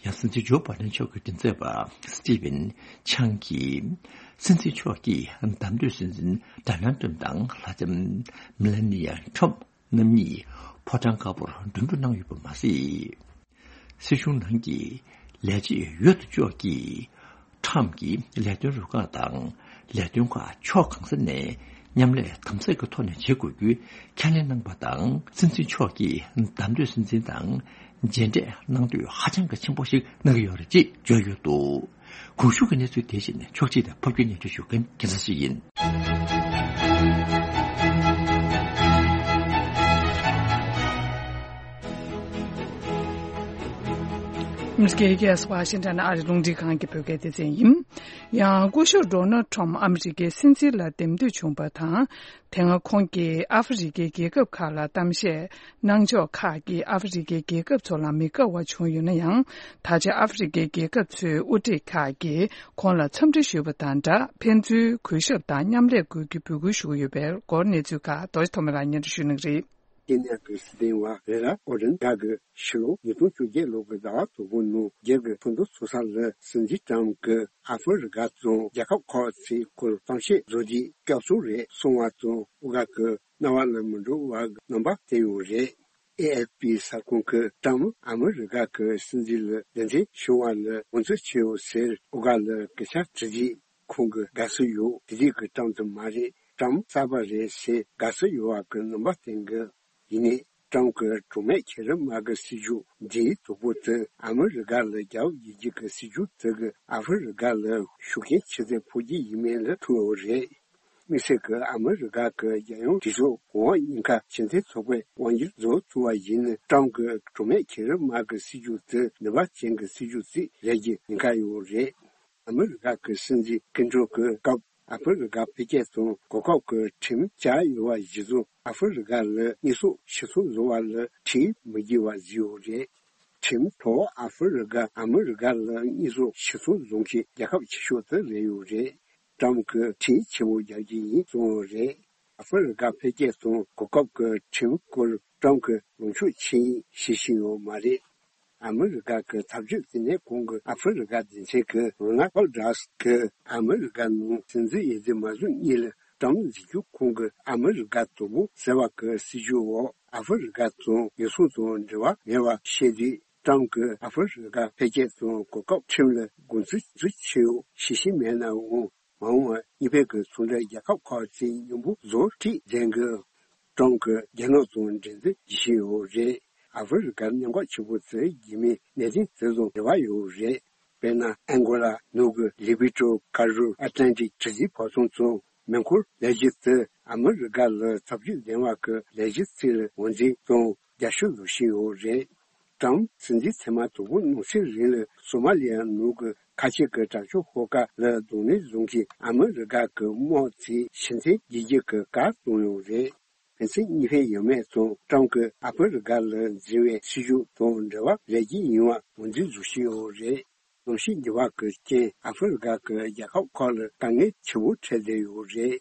ཡང་སྲིད་འཛིན་ཇོ་བྷའི་ཏན་མཆོག་གི་མགྲིན་ཚབ་པ་སི་ཏི་ཝན་ཆང་གིས། སྲིད་འཛིན་མཆོག་གིས་བདམས་ཐོན་སྲིད་འཛིན་ཌོ་ནལ་ཏྲམ་དང་ལྷ་ལྕམ་མེ་ལ་ནི་ཡ་ཊྲམ་རྣམ་གཉིས་ཕོ་བྲང་དཀར་པོར་འགྲན་བསྡུར་གནང་ཡོད་པ་མ་ཟད། སྲིད་གཞུང་ནང་གི་ལས་བྱེད་འོས་བསྡུ་ཕྱོགས་ཀྱིས་ཊྲམ་གྱི་ལས་དོན་རུ་ཁག་དང་ལས་དོན་ཁག་ཕྱོགས་གང་ས་ནས་མཉམ་ལས་དམ་ཟབ་ཀྱི་ཐོག་ནས་བྱེད་དགོས་རྒྱུའི་ཁས་ལེན་གནང་པ་དང་། སྲིད་འཛིན་མཆོག་གིས་བདམས་ཐོན་སྲིད་འཛིན་དང་མཇལ་འཕྲད་གནང་འདོད་ཧ་ཅང་གི་ཆེན་པོ་ཞིག་གནང་གི་ཡོད་རེད་ཅེས་བརྗོད་ཡོད་འདུག། གོང་ཞུས་ཀྱི་གནས་ཚུལ་དེ་བཞིན་ཕྱོགས་སྒྲིག་དང་ཕབ་སྒྱུར་སྙན་སྒྲོན་ཞུ་མཁན་རྒྱལ་མཚན་ཞིག་ཡིན། མི་སྐད་ཨ་མེ་རི་ཀའི་ཝ་ཤིང་ཊོན་ཨ་རིའི་རླུང་འཕྲིན་ཁང་གི་བོད་སྐད་སྡེ་ཚན་ཡིན། ཡང་སྐུ་ཞབས་ཌོ་ནལ་ཊྲམ་ཨ་མེ་རི་ཀའི་སྲིད་འཛིན་ལ་འདེམས་ཐོན་བྱུང་བ་དང་། དེ་སྔ་ཁོང་གིས་ཨ་ཧྥེ་རི་ཀའི་རྒྱལ་ཁབ་ཁག་ལ་གཏམ་བཤད་གནང་ཕྱོགས་ཁག་གིས་ཨ་ཧྥེ་རི་ཀའི་རྒྱལ་ཁབ་ཚོ་ལ་མི་དགའ་བ་བྱུང་ཡོད་ན་ཡང་། ད་ཆ་ཨ་ཧྥེ་རི་ཀའི་རྒྱལ་ཁབ་ཚོའི་དབུ་ཁྲིད་ཁག་གིས་ཁོང་ལ་འཚམས་འདྲི་ཞུས་པ་དང་སྦྲགས། ཕན་ཚུན་གུས་ཞབས་དང་མཉམ་ལས་དགོས་རྒྱུ་འབོད་སྐུལ་ཞུ་གི་ཡོད་པའི་སྐོར་གནས་ཚུལ་ཁག་རྡོ་རྗེ་ཐོགས་མེད་ལགས་སྙན་སྒྲོན་ཞུ་གནང་གི་རེད། ཀེ་ནི་ཡ་གི་སྲིད་དོན་བ་རེ་ར་ཨོ་ཌེན་ག་གི་ཕྱི་ལོ་ཉིས་སྟོང་བཅོ་བརྒྱད་ལོ་གི་ཟླ་བ་དང་པོ་ནང་རྒྱལ་གི་ཕུན་ཚོགས་ཚོགས་ས་ལ་སྲིད་འཛིན་ཊྲམ་གི་ཨ་ཧྥེ་རི་ཀ་དང་རྒྱལ་ཁབ་ཁག་ཚོའི་སྐོར་གཏམ་བཤད་བཟོ་རྒྱུའི་སྐབས་སུ་རེད་སོང་བ་དང་། དབུ་ག་གི་རྣ་བ་ལ་མི་འགྲོ་བ་གི་རྣམ་པ་བསྟན་ཡོད་རེད། ཨེ་ཨེཕ་པི་གསར་ཁང་གི་ཊྲམ་ཨ་མི་རི་ཀ་གི་སྲིད་འཛིན་ལ་གདན་འདྲེན་བྱུང་བ་ལ་ངོས་འཛིན་བྱས་ཡོད་ཟེར་དབུ་ག་ལ་སྐད་ཆ་དྲི་རྗེས། ཁོང་གིས་དགའ་བསུ་ཡོད། དེ་དུས་ཀྱི་ཊྲམ་དེ་མ་རེད། ཊྲམ་གསར་པ་རེད་ཟེར་དགའ་བསུ་ཡོད་པ་གི་རྣམ་པ་བསྟན་གི། ཡིན་ནའི་ཊྲམ་གྱི་གྲོགས་མེད་གྱི་རིམ་མ་གི་སྲིད་ཇུས་འདིའི་གྲོགས་པོ་དེ་ཨ་མི་རི་ཀ་ལ་རྒྱབ་ཡིད་ཀྱི་གི་སྲིད་ཇུས་དེ་གིས་ཨ་ཧྥེ་རི་ཀ་ལ་ཤུགས་རྐྱེན་ཆེ་ཙམ་ཕོག་རྒྱུ་ཡིན་མིན་ལ་ཐུག་ཡོད་རེད། དམིགས་བསལ་གྱི་ཨ་མི་རི་ཀ་གི་རྒྱལ་ཡོངས་གྲོས་ཚོགས་གོང་འོག་གཉིས་ཀ་ཕྱི་འཐེན་ཚོགས་པའི་དབང་སྒྱུར་བཟོ་ཐུབ་པ་ཡིན་ན། ཊྲམ་གྱི་གྲོགས་མེད་གྱི་རིམ་མ་གི་སྲིད་ཇུས་དེ་ནུས་པ་ཅན་གྱི་སྲིད་ཇུས་ཅིག་རེད་ཀྱི་ཉེན་ཁ་ཡོད་རེད། ཨ་མི་རི་ཀ་གི་སྲིད་འཛིན་སྐུ་མགྲོན་གྱི་སྐབས་ཨ་ཧྥེ་རི་ཀ་འཕེལ་རྒྱས་དང་གོ་སྐབས་ཀྱི་ཁྲིམས་བཅའ་ཡོད་པ་གཞིར་བཟུང་ཨ་ཧྥེ་རི་ཀ་ལ་དངོས་ཟོག་ཕྱིར་ཚོང་བཟོ་བ་ལ་ཁྲལ་མི་འཇལ་བ་བཟོས་ཡོད་རེད། ཁྲིམས་ཐོག་ཨ་ཧྥེ་རི་ཀ་ཨ་མི་རི་ཀ་ལ་དངོས་ཟོག་ཕྱིར་ཚོང་བཟོ་མཁན་རྒྱལ་ཁབ་ཆེ་ཤོས་དེ་རེད་ཡོད་རེད། ཊྲམ་གྱིས་ཁྲལ་ཆེན་པོ་རྒྱག་རྒྱུ་ཡིན་གསུངས་ཡོད་རེད། ཨ་ཧྥེ་རི་ཀ་འཕེལ་རྒྱས་དང་གོ་སྐབས་ཀྱི་ཁྲིམས་སྐོར་ཊྲམ་གྱིས་ལངས་ཕྱོགས་ཆེ་ཡིན་ཞེས་བཤད་ཡོད་མ་རེད། ཨ་མི་རི་ཀ་གི་ཐབས་ཇུས་དེ་ནས་གོང་གི་ཨ་ཧྥེ་རི་ཀ་སྡེ་ཚན་གྱི་རོ་ན་ཨོ་ཌར་གྱིས་ཨ་མི་རི་ཀ་ནང་སྲིད་འཛིན་འོས་བསྡུ་མ་བཟོ་སྔོན་ལ་ཊྲམ་འཛིན་རྒྱུ་གོང་གི་ཨ་མི་རི་ཀ་དང་པོ་ཟེར་བ་གི་སྲིད་ཇུས་འོག་ཨ་ཧྥེ་རི་ཀ་དང་ཉེན་སྲུང་དང་འབྲེལ་བ་མེད་པ་བཤད་དུས། ཊྲམ་གྱིས་ཨ་ཧྥེ་རི་ཀ་འཕེལ་རྒྱས་དང་གོ་སྐབས་ཁྲིམས་ལ་དགོངས་ཚུལ་ཚུལ་ཆེ་ཡོད་ཞེས་བཤད་མེད་ནའང་། མ་འོངས་པར་གཉིས་ཕན་གྱི་ཚོང་འབྲེལ་རྒྱལ་ཁབ་ཁག་ཅིག་མཉམ་པོ་བཟོ་ཁྲིད་མཛད་འགོ། ཀྲམ་གྱིས་རྒྱ་ནག་དང་འབྲེལ་འདྲིས་བྱེད་བཞིན་ཡོད་རེད། ཨ་ཧྥེ་རི་ཀར་གནད་འགག་ཆེན་པོ་དེ་རྒྱུད་སྨད་གནད་དོན་དེ་དང་འབྲེལ་བ་ཡོད་རེད། དཔེར་ན། ཨན་གོ་ལ་ནང་གི་ལི་པི་ཏྲོ་ཀ་རུ་ཨེ་ཏན་ཏིག་གྲུ་གཟིངས་བབ་ཚང་དང་མེ་འཁོར་ལས་གཞི་དེ་ཨ་མི་རི་ཀ་ལ་ཐབས་ཇུས་ལྡན་པ་གི་ལས་གཞི་ཅིག་ལ་ངོས་འཛིན་དང་རྒྱབ་སྐྱོར་བྱེད་བཞིན་ཡོད་རེད། ཀྲམ་སྲིད་འཛིན་ཐེངས་མ་དང་པོ་གནང་ཚེ་རིང་ལ་སོ་མ་ལི་ཡ་ནང་གི་ཁ་ཆེ་གི་དྲག་སྤྱོད་ཤོག་ཁག་ལ་གདོང་ལེན་བཟོ་མཁན་ཨ་མི་རི་ཀ་གི་དམག་དེ་ཕྱིར་འཐེན་བྱེད་རྒྱུ་གི་བཀའ་གཏོང་ཡོད་རེད། ཕན་ཚུན་གཉིས་ཕན་ཡོད་མེད་དང་ཀྲམ་གྱིས་ཨ་ཧྥེ་རི་ཀ་ལ་འཛིན་པའི་སྲིད་ཇུས་དང་འབྲེལ་བ་རེད་ཀྱི་ཡིན་པ་ངོས་འཛིན་བཟོ་བཞིན་ཡོད་རེད། གནམ་གཤིས་ཉེས་པ་གི་རྐྱེན་ཨ་ཧྥེ་རི་ཀ་གི་རྒྱལ་ཁབ་ཁག་ལ་དཀའ་ངལ་ཆེན་པོ་འཕྲད་བསྡད་ཡོད་རེད།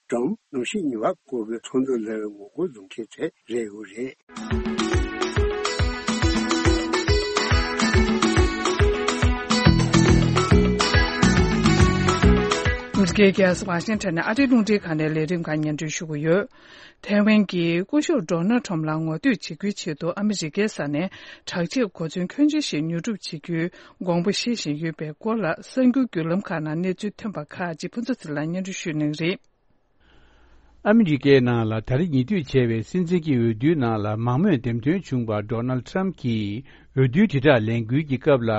ཀྲམ་གནམ་གཤིས་ཉེས་པ་སྐོར་གྱི་ཚོགས་འདུ་ལ་ངོ་རྒོལ་བཟོ་མཁན་གྲས་རེད་ཡོད་རེད། ཨ་མི་རི་ཀའི་རྒྱལ་ས་ཝ་ཤིང་ཊོན་ནས་ཨ་རིའི་རླུང་འཕྲིན་ཁང་ནས་ལས་རིམ་ཁག་སྙན་སྒྲོན་ཞུ་གི་ཡོད། ཐའེ་ཝན་གྱིས་སྐུ་ཞབས་ཌོ་ནལ་ཁྲམ་ལ་ངོ་བསྟོད་བྱེད་རྒྱུའི་ཆེད་དུ་ཨ་མི་རི་ཀའི་ས་ནས་དྲག་ཆས་གོ་མཚོན་ཁྱོན་ཆེ་ཞིག་ཉོ་སྒྲུབ་བྱེད་རྒྱུའི་དགོངས་པ་བཞེས་བཞིན་ཡོད་པའི་སྐོར་ལ་གསར་འགྱུར་བརྒྱུད་ལམ་ཁག་ནང་གནས་ཚུལ་ཐོན་པ་ཁག་ཅིག་ཕུན་ཚོགས་ཚེ་རིང་ལགས་སྙན་སྒྲོན་ཞུ་གནང་གི་རེད། ཨ་མི་རི་ཀའི་ནང་ལ་ད་རེས་ཉེ་དུས་བྱས་པའི་སྲིད་འཛིན་གྱི་འོས་བསྡུའི་ནང་ལ་མང་མོས་འདེམས་ཐོན་བྱུང་བ་ཌོ་ནལ་ཁྲམ་གྱིས་འོས་བསྡུའི་དྲིལ་བསྒྲགས་ལས་འགུལ་གྱི་སྐབས་ལ་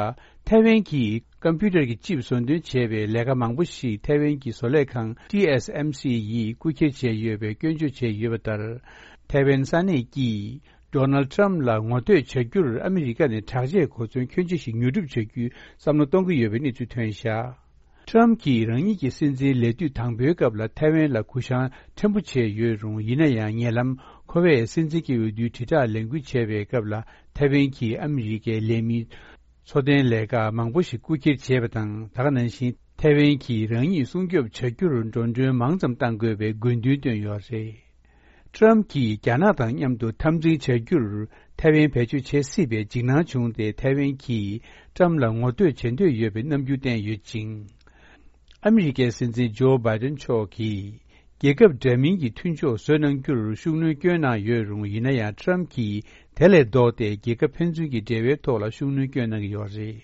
ཐའེ་ཝན་གྱིས་ཀམ་པུ་ཊར་གྱི་ཅིབ་བཟོ་འདོན་བྱས་པའི་ལས་ཀ་མང་པོ་ཞིག་ཐའེ་ཝན་གྱི་བཟོ་ལས་ཁང་ཊི་ཨེས་ཨེམ་སི་ཡིས་རྐུ་འཁྱེར་བྱས་ཡོད་པའི་སྐྱོན་བརྗོད་བྱས་ཡོད་པ་ལྟར། ཐའེ་ཝན་ས་གནས་ཀྱིས་ཌོ་ནལ་ཁྲམ་ལ་ངོ་བསྟོད་བྱ་རྒྱུར་ཨ་མི་རི་ཀ་ནས་དྲག་ཆས་གོ་མཚོན་ཁྱོན་ཆེ་ཞིག་ཉོ་སྒྲུབ་བྱ་རྒྱུའི་བསམ་བློ་གཏོང་གི་ཡོད་པའི་གནས་ཚུལ་ཐོན་བཞག། ཊམ་གྱིས་རང་ཉིད་ཀྱི་སྲིད་འཛིན་ལས་དུས་དང་པོའི་སྐབས་ལ་ཐའེ་ཝན་ལ་གུ་བཤངས་ཕྲན་བུ་བྱས་ཡོད་རུང་། ཡིན་ན་ཡང་ཉེ་ལམ་ཁོ་བས་སྲིད་འཛིན་གྱི་འོས་བསྡུའི་དྲིལ་བསྒྲགས་ལས་འགུལ་བྱས་པའི་སྐབས་ལ་ཐའེ་ཝན་གྱིས་ཨ་མི་རི་ཀའི་ལས་མིའི་འཚོ་རྟེན་ལས་ཀ་མང་པོ་ཞིག་རྐུ་འཁྱེར་བྱས་པ་དང་། ད་ག་ནང་བཞིན་ཐའེ་ཝན་གྱིས་རང་ཉིད་སྲུང་སྐྱོབ་བྱ་རྒྱུར་འགྲོ་གྲོན་མང་ཙམ་གཏང་དགོས་པའི་དགོས་འདུན་བཏོན་ཡོད་རེད། ཊམ་གྱིས་རྒྱ་ནག་དང་མཉམ་དུ་འཐབ་འཛིང་བྱ་རྒྱུར་ཐའེ་ཝན་བེད་སྤྱོད་བྱེད་སྲིད་པའི་འཇིགས་སྣང་བྱུང་སྟེ། ཐའེ་ཝན་གྱིས་ཊམ་ལ་ངོ་བསྟོད་བྱེད་འདོད་ཡོད་པའི་རྣམ་འགྱུར་བསྟན་ཡོད་ཅིང་། ཨ་མི་རི་ཀའི་སྲིད་འཛིན་ཇོ་བྷའི་ཏན་མཆོག་གིས་རྒྱལ་ཁབ་འདྲ་མིན་གྱི་མཐུན་ཕྱོགས་བཟོ་གནང་རྒྱུར་ཤུགས་སྣོན་བསྐྱོན་གནང་ཡོད་རུང་། ཡིན་ན་ཡང་ཊམ་གྱིས་དེ་ལས་ལྡོག་སྟེ་རྒྱལ་ཁབ་ཕན་ཚུན་གྱི་འབྲེལ་བའི་ཐོག་ལ་ཤུགས་སྣོན་བསྐྱོན་གནང་གི་ཡོད་རེད།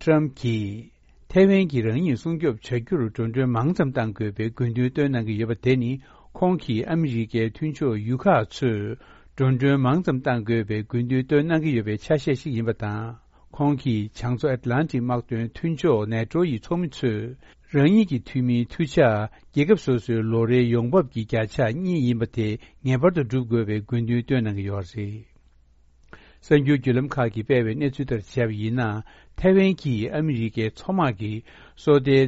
ཊམ་གྱིས་ཐའེ་ཝན་གྱིས་རང་ཉིད་སྲུང་སྐྱོབ་བྱ་རྒྱུར་འགྲོ་གྲོན་མང་ཙམ་གཏང་དགོས་པའི་དགོས་འདུན་བཏོན་གནང་གི་ཡོད་པ་དེ་ནི། ཁོང་གིས་ཨ་མི་རི་ཀའི་མཐུན་ཕྱོགས་ཡུལ་ཁག་ཚོས་འགྲོ་གྲོན་མང་ཙམ་གཏང་དགོས་པའི་དགོས་འདུན་བཏོན་གནང་གི་ཡོད་པའི་ཆ་ཤས་ཤིག་ཡིན་པ་དང་། ཁོང་གིས་བྱང་མཚོ་ཨེཊ་ལན་ཊིག་དམག་དོན་མཐུན་ཕྱོགས་ནེ་ཊོ་ཡི་ཚོགས་མི་ཚོས་རང་ཉིད་ཀྱི་འཐུས་མིའི་འཐུས་ཆ་རྒྱལ་ཁབ་སོ་སོའི་ལོ་རེའི་ཡོང་འབབ་ཀྱི་བརྒྱ་ཆ་གཉིས་ཡིན་པ་དེ་ངེས་པར་དུ་སྒྲུབ་དགོས་པའི་དགོས་འདུན་བཏོན་གནང་གི་ཡོད་རེད། གསར་འགྱུར་བརྒྱུད་ལམ་ཁག་གིས་སྤེལ་བའི་གནས་ཚུལ་ལྟར་བྱས་པ་ཡིན་ན། ཐའེ་ཝན་གྱིས་ཨ་མི་རི་ཀའི་མཚོ་དམག་གི་སོ་ལྟའི་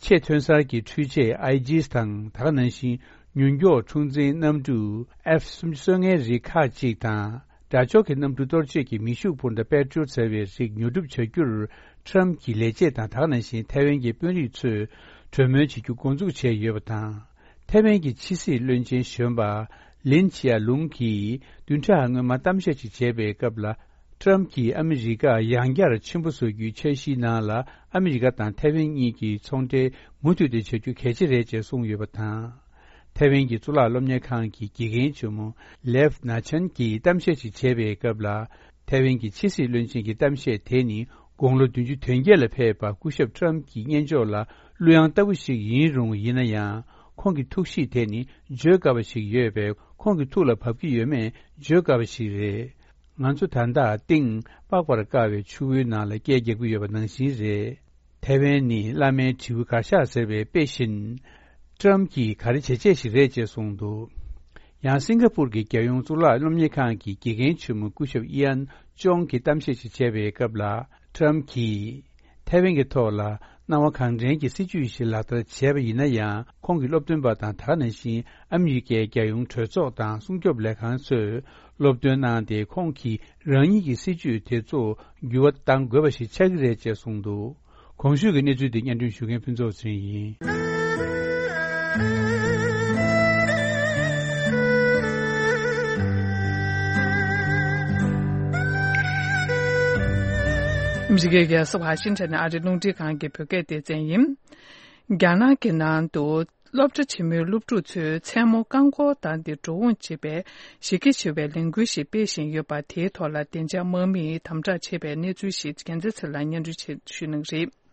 ཆེས་ཐོན་གསར་གྱི་འཕྲུལ་ཆས་ཨའི་ཇིས་དང་། ད་ག་ནང་བཞིན་མྱུར་མགྱོགས་འཁྲུག་འཛིང་གནམ་གྲུ་ཨེཕ་སུམ་ཅུ་སོ་ལྔའི་རིགས་ཁག་ཅིག་དང་། དགྲ་ཕྱོགས་ཀྱི་གནམ་གྲུ་གཏོར་བྱེད་ཀྱི་མེ་ཤུགས་འཕུར་མདའ་པེ་ཊྲིའོ་ཊི་ཟེར་བའི་རིགས་ཉོ་སྒྲུབ་བྱ་རྒྱུར་ཊམ་གྱིས་ལས་བྱེད་དང་། ད་ག་ནང་བཞིན་ཐའེ་ཝན་གྱི་དཔོན་རིགས་ཚོས་གྲོས་མོལ་བྱེད་རྒྱུ་འགོ་འཛུགས་བྱས་ཡོད་པ་དང་། ཐའེ་ཝན་གྱི་ཕྱི་སྲིད་བློན་ཆེན་གཞོན་པ་ལིན་ཆི་ཡ་ལུང་གིས་བདུན་ཕྲག་སྔོན་མ་གཏམ་བཤད་ཅིག་བྱས་པའི་སྐབས་ལ། ཊམ་གྱིས་ཨ་མི་རི་ཀ་ཡང་བསྐྱར་ཆེན་པོ་བཟོ་རྒྱུའི་འཆར་གཞིའི་ནང་ལ། ཨ་མི་རི་ཀ་དང་ཐའེ་ཝན་གཉིས་ཀྱིས་ཚོང་འབྲེལ་མུ་མཐུད་དེ་བྱ་རྒྱུ་གལ་ཆེ་རེད་ཅེས་གསུངས་ཡོད་པ་དང་། ཐའེ་ཝན་གྱི་གཙུག་ལག་སློབ་གཉེར་ཁང་གི་དགེ་རྒན་ཆེན་མོ་ལེབ་ན་ཆན་གྱིས་གཏམ་བཤད་ཅིག་བྱས་པའི་སྐབས་ལ། ཐའེ་ཝན་གྱི་ཕྱི་སྲིད་བློན་ཆེན་གྱི་གཏམ་བཤད་དེ་ནི། དགུང་ལོ་བདུན་ཅུ་དོན་བརྒྱད་ལ་ཕེབས་པ་སྐུ་ཞབས་ཊམ་གྱི་སྙན་ཕྱོགས་ལ་གླུ་དབྱངས་ལྟ་བུ་ཞིག་ཡིན་རུང་། ཡིན་ན་ཡང་ཁོང་གི་ཐུགས་གཤིས་དེ་ནི་བརྗོད་དཀའ་བ་ཞིག་ཡོད་པས། ཁོང་གི་ཐུགས་ལ་བབས་ཀྱི་ཡོད་མེད་བརྗོད་དཀའ་བ་ཞིག་རེད། ང་ཚོ་ད་ལྟ་གཏིང་སྤགས་པར་དཀའ་བའི་ཆུ་བོའི་ནང་ལ་སྐད་རྒྱག་གི་ཡོད་པ་ནང་བཞིན་རེད། ཐའེ་ཝན་ནི་བླ་མའི་དྲེའུ་གར་ཤག་ཟེར་བའི་དཔེ་བཞིན། ཊམ་གྱིས་ག་རེ་བྱས་བྱས་ཤིག་རེད་ཅེས་གསུངས་འདུག། ཡང་སིང་ག་པུར་གྱི་རྒྱལ་ཡོངས་གཙུག་ལག་སློབ་གཉེར་ཁང་གི་དགེ་རྒན་ཆེན་མོ་སྐུ་ཞབས་ཨི་ཡན་ཅོང་གིས་གཏམ་བཤད་ཅིག་བྱས་པའི་སྐབས་ལ། ཊམ་གྱིས་ཐའེ་ཝན་གྱི་ཐོག་ལ་སྣང་བ་གང་དྲན་གྱི་སྲིད་ཇུས་ཤིག་ལག་བསྟར་བྱས་པ་ཡིན་ན་ཡང་། ཁོང་གི་སློབ་སྟོན་པ་དང་། ད་ག་ནང་བཞིན་ཨ་མི་རི་ཀའི་རྒྱལ་ཡོངས་གྲོས་ཚོགས་དང་སྲུང་སྐྱོབ་ལས་ཁང་ཚོས་སློབ་སྟོན་གནང་སྟེ། ཁོང་གིས་རང་ཉིད་ཀྱི་སྲིད་ཇུས་དེ་ཚོ་འགྱུར་བ་གཏང་དགོས་པ་ཞིག་ཆགས་ཀྱི་རེད་ཅེས་གསུངས་འདུག། གོང་ཞུས་ཀྱི་གནས་ཚུལ་འདི་སྙན་སྒྲོན་ཞུ་མཁན་ཕུན་ཚོགས་ཚེ་རིང་ཡིན། ཨ་མི་རི་ཀའི་རྒྱལ་ས་ཝ་ཤིང་ཊོན་ནས་ཨ་རིའི་རླུང་འཕྲིན་ཁང་གི་བོད་སྐད་སྡེ་ཚན་ཡིན། རྒྱ་ནག་གི་ནང་དུ་སློབ་གྲྭ་ཆེན་མོའི་སློབ་ཕྲུག་ཚོས་མཚན་མོ་རྐང་འཁོར་བཏང་སྟེ་འགྲོ་འོང་བྱེད་པའི་གཞི་རྒྱ་ཆེ་བའི་ལས་འགུལ་ཞིག་སྤེལ་བཞིན་ཡོད་པ། དེའི་ཐོག་ལ་བདེ་འཇགས་དམག་མིས་དམ་དྲག་བྱས་པའི་གནས་ཚུལ་ཞིག་རྒྱལ་མཚན་ཚེ་ལགས་སྙན་སྒྲོན་ཞུ་གནང་གི་རེད།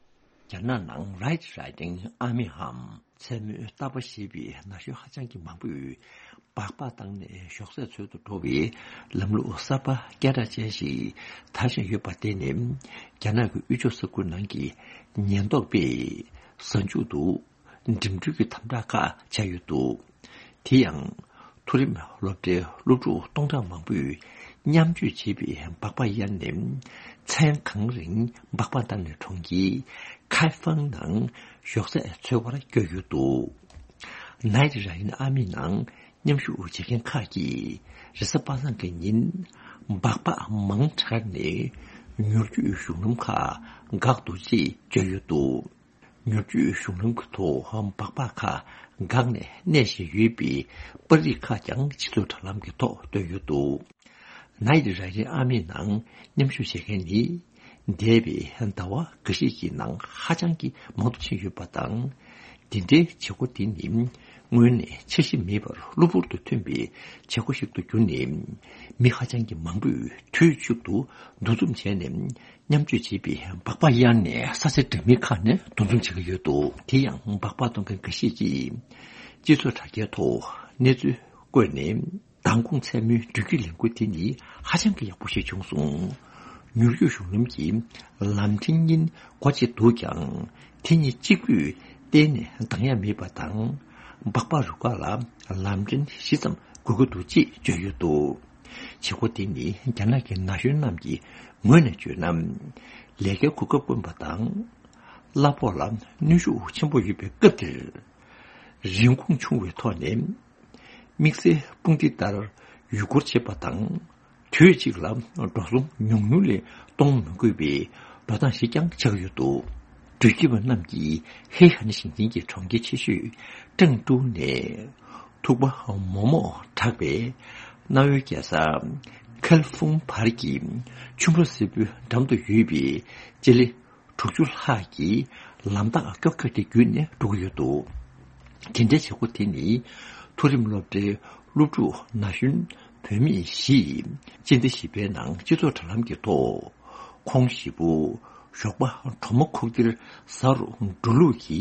རྒྱ་ནག་ནང་Red Riding Army འམ་མཚན་མོའི་རྟ་པ་ཞེས་པའི་ན་གཞོན་ཧ་ཅང་གི་མང་པོས་སྦག་སྦག་བཏང་ནས་ཞོགས་ཟས་འཚོལ་དུ་འགྲོ་བའི་ལམ་ལུགས་གསར་པ་སྐད་གྲགས་ཅན་ཞིག་དར་བཞིན་ཡོད་པ་དེ་ནི། རྒྱ་ནག་གི་དབུས་ཕྱོགས་ས་ཁུལ་ནང་གི་ཉེན་རྟོག་པས་གཟའ་མཇུག་ཏུ་འགྲིམ་འགྲུལ་གྱི་དམ་དྲག་ཁག་བྱས་ཡོད་འདུག། དེ་ཡང་མཐོ་རིམ་སློབ་གྲྭའི་སློབ་ཕྲུག་སྟོང་ཕྲག་མང་པོས་མཉམ་སྤྱོད་བྱེད་པའི་སྦག་སྦག་གཡར་ནས། མཚན་གང་རིང་སྦག་སྦག་བཏང་ནས་གྲོང་ཁྱེར་ཁའེ་ཧྥང་ནང་ཞོགས་ཟས་འཚོལ་བར་བསྐྱོད་ཡོད་འདུག། Knight Riding Army ནང་མཉམ་ཞུགས་བྱེད་མཁན་ཁག་གིས་རེས་གཟའ་པ་སངས་ཀྱི་ཉིན་སྦག་སྦག་མང་དྲགས་ནས་མྱུར་སྐྱོད་གཞུང་ལམ་ཁག་འགག་འདུག་ཅེས་བརྗོད་ཡོད་འདུག། མྱུར་སྐྱོད་གཞུང་ལམ་གྱི་ཐོག་སྦག་སྦག་ཁག་འགག་ནས་གནས་བཞིན་ཡོད་པའི་པར་རིས་ཁག་ཀྱང་སྤྱི་ཚོགས་དྲ་ལམ་གྱི་ཐོག་བཏོན་ཡོད་འདུག། Knight Riding Army ནང་མཉམ་ཞུགས་བྱེད་མཁན་ནི། འདས་པའི་ཟླ་བ་འགའ་ཤས་ཀྱི་ནང་ཧ་ཅང་གི་མང་དུ་ཕྱིན་ཡོད་པ་དང་། འདི་འདྲའི་བྱེད་སྒོ་འདི་ནི་སྔོན་ནས་འཆར་གཞི་མེད་པར་གློ་བུར་དུ་ཐོན་པའི་བྱེད་སྒོ་ཞིག་ཏུ་གྱུར་ནས། མི་ཧ་ཅང་གི་མང་པོས་དུས་གཅིག་ཏུ་འདུ་འཛོམས་བྱས་ནས། མཉམ་སྤྱོད་བྱེད་པའི་སྦག་སྦག་གཡར་ནས་ས་ཆ་འདྲ་མིན་ཁག་ནས་འདུ་འཛོམས་བྱེད་ཀྱི་ཡོད་འདུག། དེ་ཡང་སྦག་སྦག་གཏོང་མཁན་འགའ་ཤས་ཀྱིས་སྤྱི་ཚོགས་དྲ་རྒྱའི་ཐོག་གནས་ཚུལ་བཀོད་ནས། མདང་དགོང་མཚན་མོའི་འགྲུལ་སྐྱོད་ལས་འགུལ་དེ་ནི་ཧ་ཅང་གི་ཡག་པོ་ཞིག་བྱུང་སོང་། མྱུར་སྐྱོད་གཞུང་ལམ་གྱི་ལམ་འཕྲིན་གཉིས་སྒོ་ཕྱེ་འདུག་ཀྱང་། དེ་གཉིས་གཅིག་པུས་གཏན་ནས་འདང་ཡ་མེད་པ་དང་། སྦག་སྦག་རུ་ཁག་ལ་ལམ་འཕྲིན་བཞི་ཙམ་དགོས་ཀྱི་འདུག་ཅེས་བརྗོད་ཡོད་འདུག། བྱེད་སྒོ་དེ་ནི་རྒྱ་ནག་གི་ན་གཞོན་རྣམས་ཀྱི་ངོས་ནས་བརྗོད་ན། ལས་ཀའི་གོ་སྐབས་དཀོན་པ་དང་། གླ་ཕོགས་ལ་གནོན་ཤུགས་ཆེན་པོ་ཡོད་པའི་སྐབས་འདིར། རིན་གོང་ཆུང་བའི་ཐོག་ནས་དམིགས་བསལ་དཔུང་སྡེ་ལྟར་ཡུལ་སྐོར་བྱེད་པ་དང་། དུས་གཅིག་ལ་འགྲོ་སོང་ཉུང་ཉུང་ལས་གཏོང་མི་དགོས་པའི་འགྲོ་སྟངས་ཤིག་ཀྱང་ཆགས་ཡོད་འདུག་འགྲུལ་སྐྱེལ་བ་རྣམས་ཀྱིས་ཧེ་ཧན་ཞིང་ཆེན་གྱི་གྲོང་ཁྱེར་ཆེ་ཤོས་ཀྲང་ཀྲོའུ་ནས་ཐུག་པ་མོག་མོག་གྲགས་པའི་གནའ་བོའི་རྒྱལ་ས་ཁལ་ཧྥུང་བར་གྱི་ཆུ་འབབ་སེར་པོའི་འགྲམ་དུ་ཡོད་པའི་སྤྱི་ལེ་དྲུག་ཅུ་ལྷག་གི་ལམ་ཐག་ཀྱོག་ཀྱོག་དེ་བརྒྱུད་ནས་འགྲོ་གི་ཡོད་འདུག་དེ་འདྲའི་བྱེད་སྒོ་དེ་ནི་མཐོ་རིམ་སློབ་གྲྭའི་སློབ་ཕྲུག་ན་གཞོན་བུད་མེད་བཞིས་སྤྱི་ཟླ་བཞི་པའི་ནང་སྤྱི་ཚོགས་དྲ་ལམ་གྱི་ཐོག་ཁོང་བཞི་པོ་ཞོགས་པ་གྲོག་མ་ཁུག་རྟེར་གཟའ་རུ་འགྲོ་ལུགས་ཀྱི་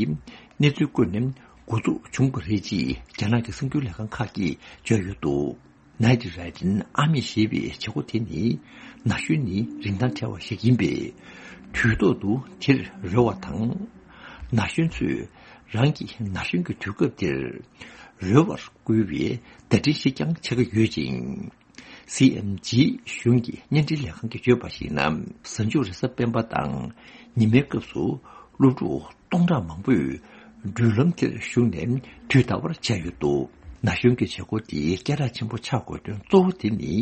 གནས་ཚུལ་བཀོད་ནས་འགོ་འཛུགས་བྱུང་བ་རེད་ཅེས་རྒྱ་ནག་གི་གསར་འགྱུར་ལས་ཁང་ཁག་གིས་བརྗོད་ཡོད་འདུག Night Riding Army ཞེས་པའི་བྱེད་སྒོ་དེ་ནི་ན་གཞོན་ནི་རིན་ཐང་བྲལ་བ་ཞིག་ཡིན་པས། དུས་ཐོག་ཏུ་དེར་རོལ་བ་དང་། ན་གཞོན་ཚོས་རང་གི་ན་གཞོན་གྱི་དུས་སྐབས་དེར་རོལ་བར་བསྐུལ་བའི་བརྡ་འཕྲིན་ཞིག་ཀྱང་ཆགས་ཀྱི་ཡོད་ཅིང་། སི་ཨེམ་ཇི་གཞུང་གི་བརྙན་འཕྲིན་ལས་ཁང་གིས་བརྗོད་པར་གཞིགས་ན། གཟའ་མཇུག་རེས་གཟའ་སྤེན་པ་དང་ཉི་མའི་སྐབས་སུ་སློབ་ཕྲུག་སྟོང་ཕྲག་མང་པོས་མདུན་ལམ་དེར་ཞུགས་ནས་དུས་འདའ་བར་བྱས་ཡོད་འདུག་ན་གཞོན་གྱི་བྱེད་སྒོ་འདི་སྐད་གྲགས་ཆེན་པོ་ཆགས་དགོས་དོན་གཙོ་བོ་དེ་ནི་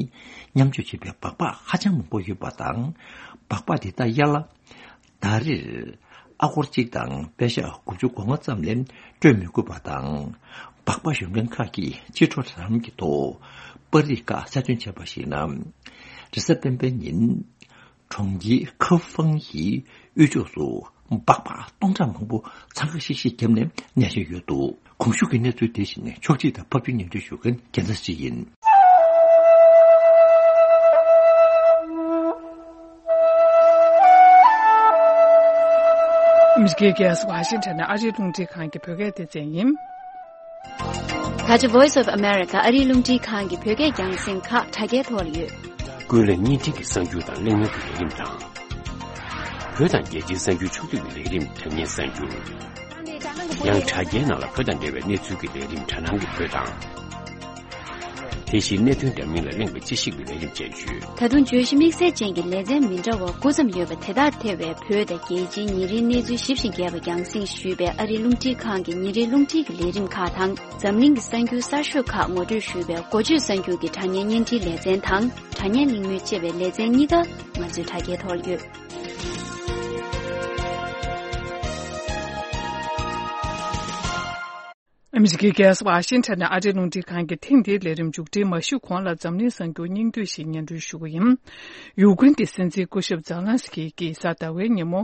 མཉམ་སྤྱོད་བྱེད་པའི་སྦག་སྦག་ཧ་ཅང་མང་པོ་ཡོད་པ་དང་། སྦག་སྦག་འདི་དག་ཡར་ལ་ཟླ་རེར་ཨ་སྒོར་གཅིག་དང་པད་ཤག་དགུ་བཅུ་གོ་ལྔ་ཙམ་ལས་སྤྲོད་མི་དགོས་པ་དང་། སྦག་སྦག་ཞོན་མཁན་ཁག་གིས་སྤྱི་ཚོགས་དྲ་ལམ་གྱི་ཐོག་པར་རིས་ཁག་གསར་བཏོན་བྱས་པར་གཞིགས་ན། རེས་གཟའ་སྤེན་པའི་ཉིན། གྲོང་ཁྱེར་ཁ་ཧྥང་ཡི་དབུས་ཕྱོགས་སུ་སྦག་སྦག་སྟོང་ཕྲག་མང་པོ་འཚང་ཁ་ཤིག་ཤིག་བརྒྱབ་ནས་གནས་བཞིན་ཡོད་འདུག་གོང་ཞུས་ཀྱི་གནས་ཚུལ་དེ་བཞིན་ཕྱོགས་སྒྲིག་དང་ཕབ་སྒྱུར་སྙན་སྒྲོན་ཞུ་མཁན་རྒྱལ་མཚན་ཞིག་ཡིན། ཨ་མི་རི་ཀའི་རྒྱལ་ས་ཝ་ཤིང་ཊོན་ནས་ཨ་རིའི་རླུང་འཕྲིན་ཁང་གི་བོད་སྐད་སྡེ་ཚན་ཡིན། ད་ཆ་Voice of America ཨ་རིའི་རླུང་འཕྲིན་ཁང་གི་བོད་སྐད་རྒྱང་སྲིང་ཁག་དྲ་རྒྱའི་ཐོག་ལ་ཡོད། ཀུན་གླེང་བརྙན་འཕྲིན་གྱི་གསར་འགྱུར་དང་གླེང་མོལ་གྱི་ལས་རིམ་དང་། བོད་དང་རྒྱལ་སྤྱིའི་གསར་འགྱུར་ཕྱོགས་བསྡུས་ཀྱི་ལས་རིམ་དྲ་བརྙན་གསར་འགྱུར། ཡང་དྲ་རྒྱའི་ནང་ལ་བོད་དང་འབྲེལ་བའི་གནས་ཚུལ་གྱི་ལས་རིམ་དྲ་སྣང་གི་བོད་དང་། དེ་བཞིན་གནད་དོན་འདྲ་མིན་ལ་གླེང་བའི་དཔྱད་ཞིབ་ཀྱི་ལས་རིམ་བཅས་ཡོད། ད་དུང་བརྗོད་གཞི་དམིགས་བསལ་ཅན་གྱི་ལེ་ཚན་མི་འདྲ་བ་དགུ་ཙམ་ཡོད་པ་དེ་དག་ཐེ་བའི་བོད་དང་རྒྱལ་སྤྱིའི་ཉིན་རེའི་གནས་ཚུལ་ཞིབ་ཅིང་རྒྱས་པ་རྒྱང་སྲིང་ཞུས་པའི་ཨ་རིའི་རླུང་འཕྲིན་ཁང་གི་ཉིན་རེའི་རླུང་འཕྲིན་གྱི་ལས་རིམ་ཁག་དང་། འཛམ་གླིང་གི་གསར་འགྱུར་གསར་ཤོས་ཁག་ངོ་སྤྲོད་ཞུས་པའི་འགོ་བརྗོད་གསར་འགྱུར་གྱི་དྲ་བརྙན་བརྙན་འཕྲིན་ལེ་ཚན་དང་། དྲ་བརྙན་གླེང་མོལ་ཅེས་པའི་ལེ་ཚན་གཉིས་ཀ་ང་ཚོའི་དྲ་རྒྱའི་ཐོག་ལ་ཡོད། ཨ་མི་རི་ཀའི་རྒྱལ་ས་ཝ་ཤིང་ཊོན་ནས་ཨ་རིའི་རླུང་འཕྲིན་ཁང་གི་ཐེངས་འདིའི་ལས་རིམ་མཇུག་སྒྲིལ་མ་ཞུས་གོང་ལ་འཛམ་གླིང་གསར་འགྱུར་སྙིང་བསྡུས་ཤིག་སྙན་སྒྲོན་ཞུ་གི་ཡིན། ཡུཀ་རེན་གྱི་སྲིད་འཛིན་སྐུ་ཞབས་ཛེ་ལན་སི་ཀི་གིས་གཟའ་ཟླ་བའི་ཉིན་མོ་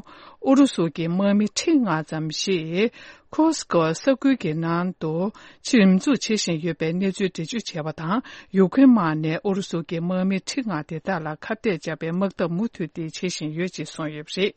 ཨུ་རུ་སུ་གྱི་དམག་མི་ཁྲི་ལྔ་ཙམ་ཞིག་ཁུར་སི་ཀོ་ས་ཁུལ་གྱི་ནང་དུ་ཆེད་འཛུགས་བྱེད་བཞིན་ཡོད་པའི་གནས་ཚུལ་འགྲེལ་བརྗོད་བྱས་པ་དང་། ཡུཀ་རེན་དམག་ནས་ཨུ་རུ་སུ་གྱི་དམག་མི་ཁྲི་ལྔ་དེ་དག་ལ་ཁ་གཏད་བཅག་པའི་དམག་འཐབ་མུ་མཐུད་དེ་བྱེད་བཞིན་ཡོད་ཅེས་གསུངས་ཡོད་པ་རེད།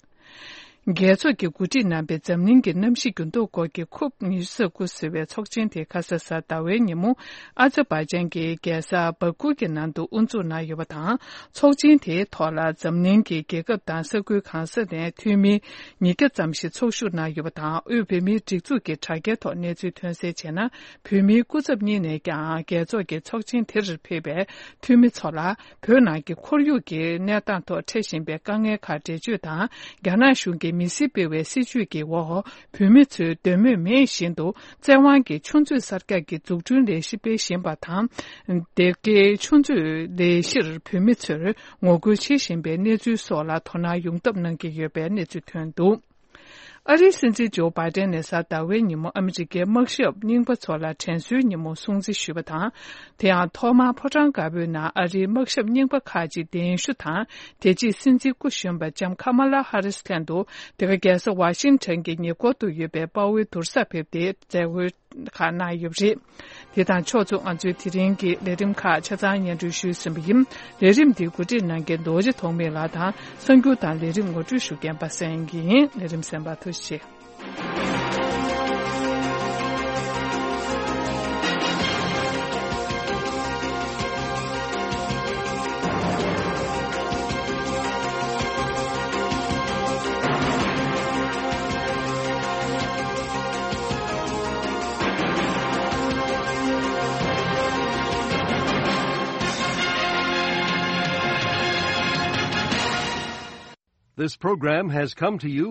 རྒྱལ་ཚོགས་ཀྱིས་གོ་སྒྲིག་གནང་པའི་འཛམ་གླིང་གི་གནམ་གཤིས་འགྱུར་ལྡོག་སྐོར་གྱི་ཁོབ་ཉི་ཤུ་རྩ་དགུ་ཟེར་བའི་ཚོགས་ཆེན་དེ་ཁ་ས་གཟའ་ཟླ་བའི་ཉིན་མོ་ཨ་ཛར་བྷའི་ཅན་གྱི་རྒྱལ་ས་བྷ་ཀུ་གི་ནང་དུ་དབུ་འཛུགས་གནང་ཡོད་པ་དང་། ཚོགས་ཆེན་དེའི་ཐོག་ལ་འཛམ་གླིང་གི་རྒྱལ་ཁབ་དང་ས་ཁུལ་གང་ས་ནས་འཐུས་མི་ཉིས་བརྒྱ་ཙམ་ཞིག་ཚོགས་ཞུགས་གནང་ཡོད་པ་དང་། དབུས་བོད་མིའི་སྒྲིག་འཛུགས་ཀྱི་དྲ་རྒྱའི་ཐོག་གནས་ཚུལ་ཐོན་གསལ་བྱས་ན། བོད་མིའི་སྐུ་ཚབ་གཉིས་ནས་ཀྱང་རྒྱལ་ཚོགས་ཀྱི་ཚོགས་ཆེན་དེར་ཕེབས་པའི་འཐུས་མི་ཚོ་ལ། བོད་ནང་གི་ཁོར་ཡུག་གི་གནས་སྟངས་ཐོག་འཕྲད་བཞིན་པའི་དཀའ་ངལ་ཁག་འགྲེལ་བརྗོད་དང་། རྒྱ་ནག་གཞུང་གིས་མི་སེར་སྤེལ་བའི་སྲིད་བྱུས་ཀྱི་འོག་བོད་མི་ཚོས་འདོད་མོས་མེད་བཞིན་དུ་བཙན་དབང་གིས་ཆུ་མཛོད་གསར་རྒྱག་གི་འཛུགས་སྐྲུན་ལས་གཞི་སྤེལ་བཞིན་པ་དང་། སྡེ་དགེའི་ཆུ་མཛོད་ལས་གཞིར་བོད་མི་ཚོར་ངོ་རྒོལ་བྱེད་བཞིན་པའི་གནས་ཚུལ་སོགས་ལ་དོ་སྣང་ཡོང་ཐབས་གནང་གི་ཡོད་པའི་གནས་ཚུལ་ཐོན་འདུག་ཨ་རིའི་སྲིད་འཛིན་ཇོ་བྷའི་ཏན་ནས་གཟའ་ཟླ་བའི་ཉིན་མོ་ཨ་མི་རི་ཀའི་དམག་ཞབས་རྙིང་པ་ཚོ་ལ་དྲན་གསོའི་ཉིན་མོ་སྲུང་བརྩི་ཞུས་པ་དང་། དེ་ཡང་ཐོག་མར་ཕོ་བྲང་དཀར་པོའི་ནང་ཨ་རིའི་དམག་ཞབས་རྙིང་པ་ཁག་ཅིག་གདན་ཞུ་དང་། དེ་རྗེས་སྲིད་འཛིན་སྐུ་གཞོན་པ་ལྕམ་ཁ་མ་ལ་ཧ་རིས་ལྷན་དུ་དེ་ག་རྒྱལ་ས་ཝ་ཤིང་ཊོན་གྱི་ཉེ་འཁོར་དུ་ཡོད་པའི་དཔའ་བོའི་དུར་སར་ཕེབས་ཏེ་མཛད་སྒོའི་ཁག་གནང་ཡོད་པ་རེད། དེ་དང་ཕྱོགས་མཚུངས་ང་ཚོའི་དེ་རིང་གི་ལས་རིམ་ཁག་ཆ་ཚང་སྙན་སྒྲོན་ཞུས་ཟིན་པ་ཡིན། ལས་རིམ་འདི་གོ་སྒྲིག་གནང་མཁན་རྡོ་རྗེ་ཐོགས་མེད་ལགས་དང་། གསར་འགྱུར་དང་ལས་རིམ་ངོ་སྤྲོད་ཞུ་མཁན་པ་སངས་སྐྱིད་ཡིན། ལས་རིམ་གསན་པར་ཐུགས་རྗེ་ཆེ། This program has come to you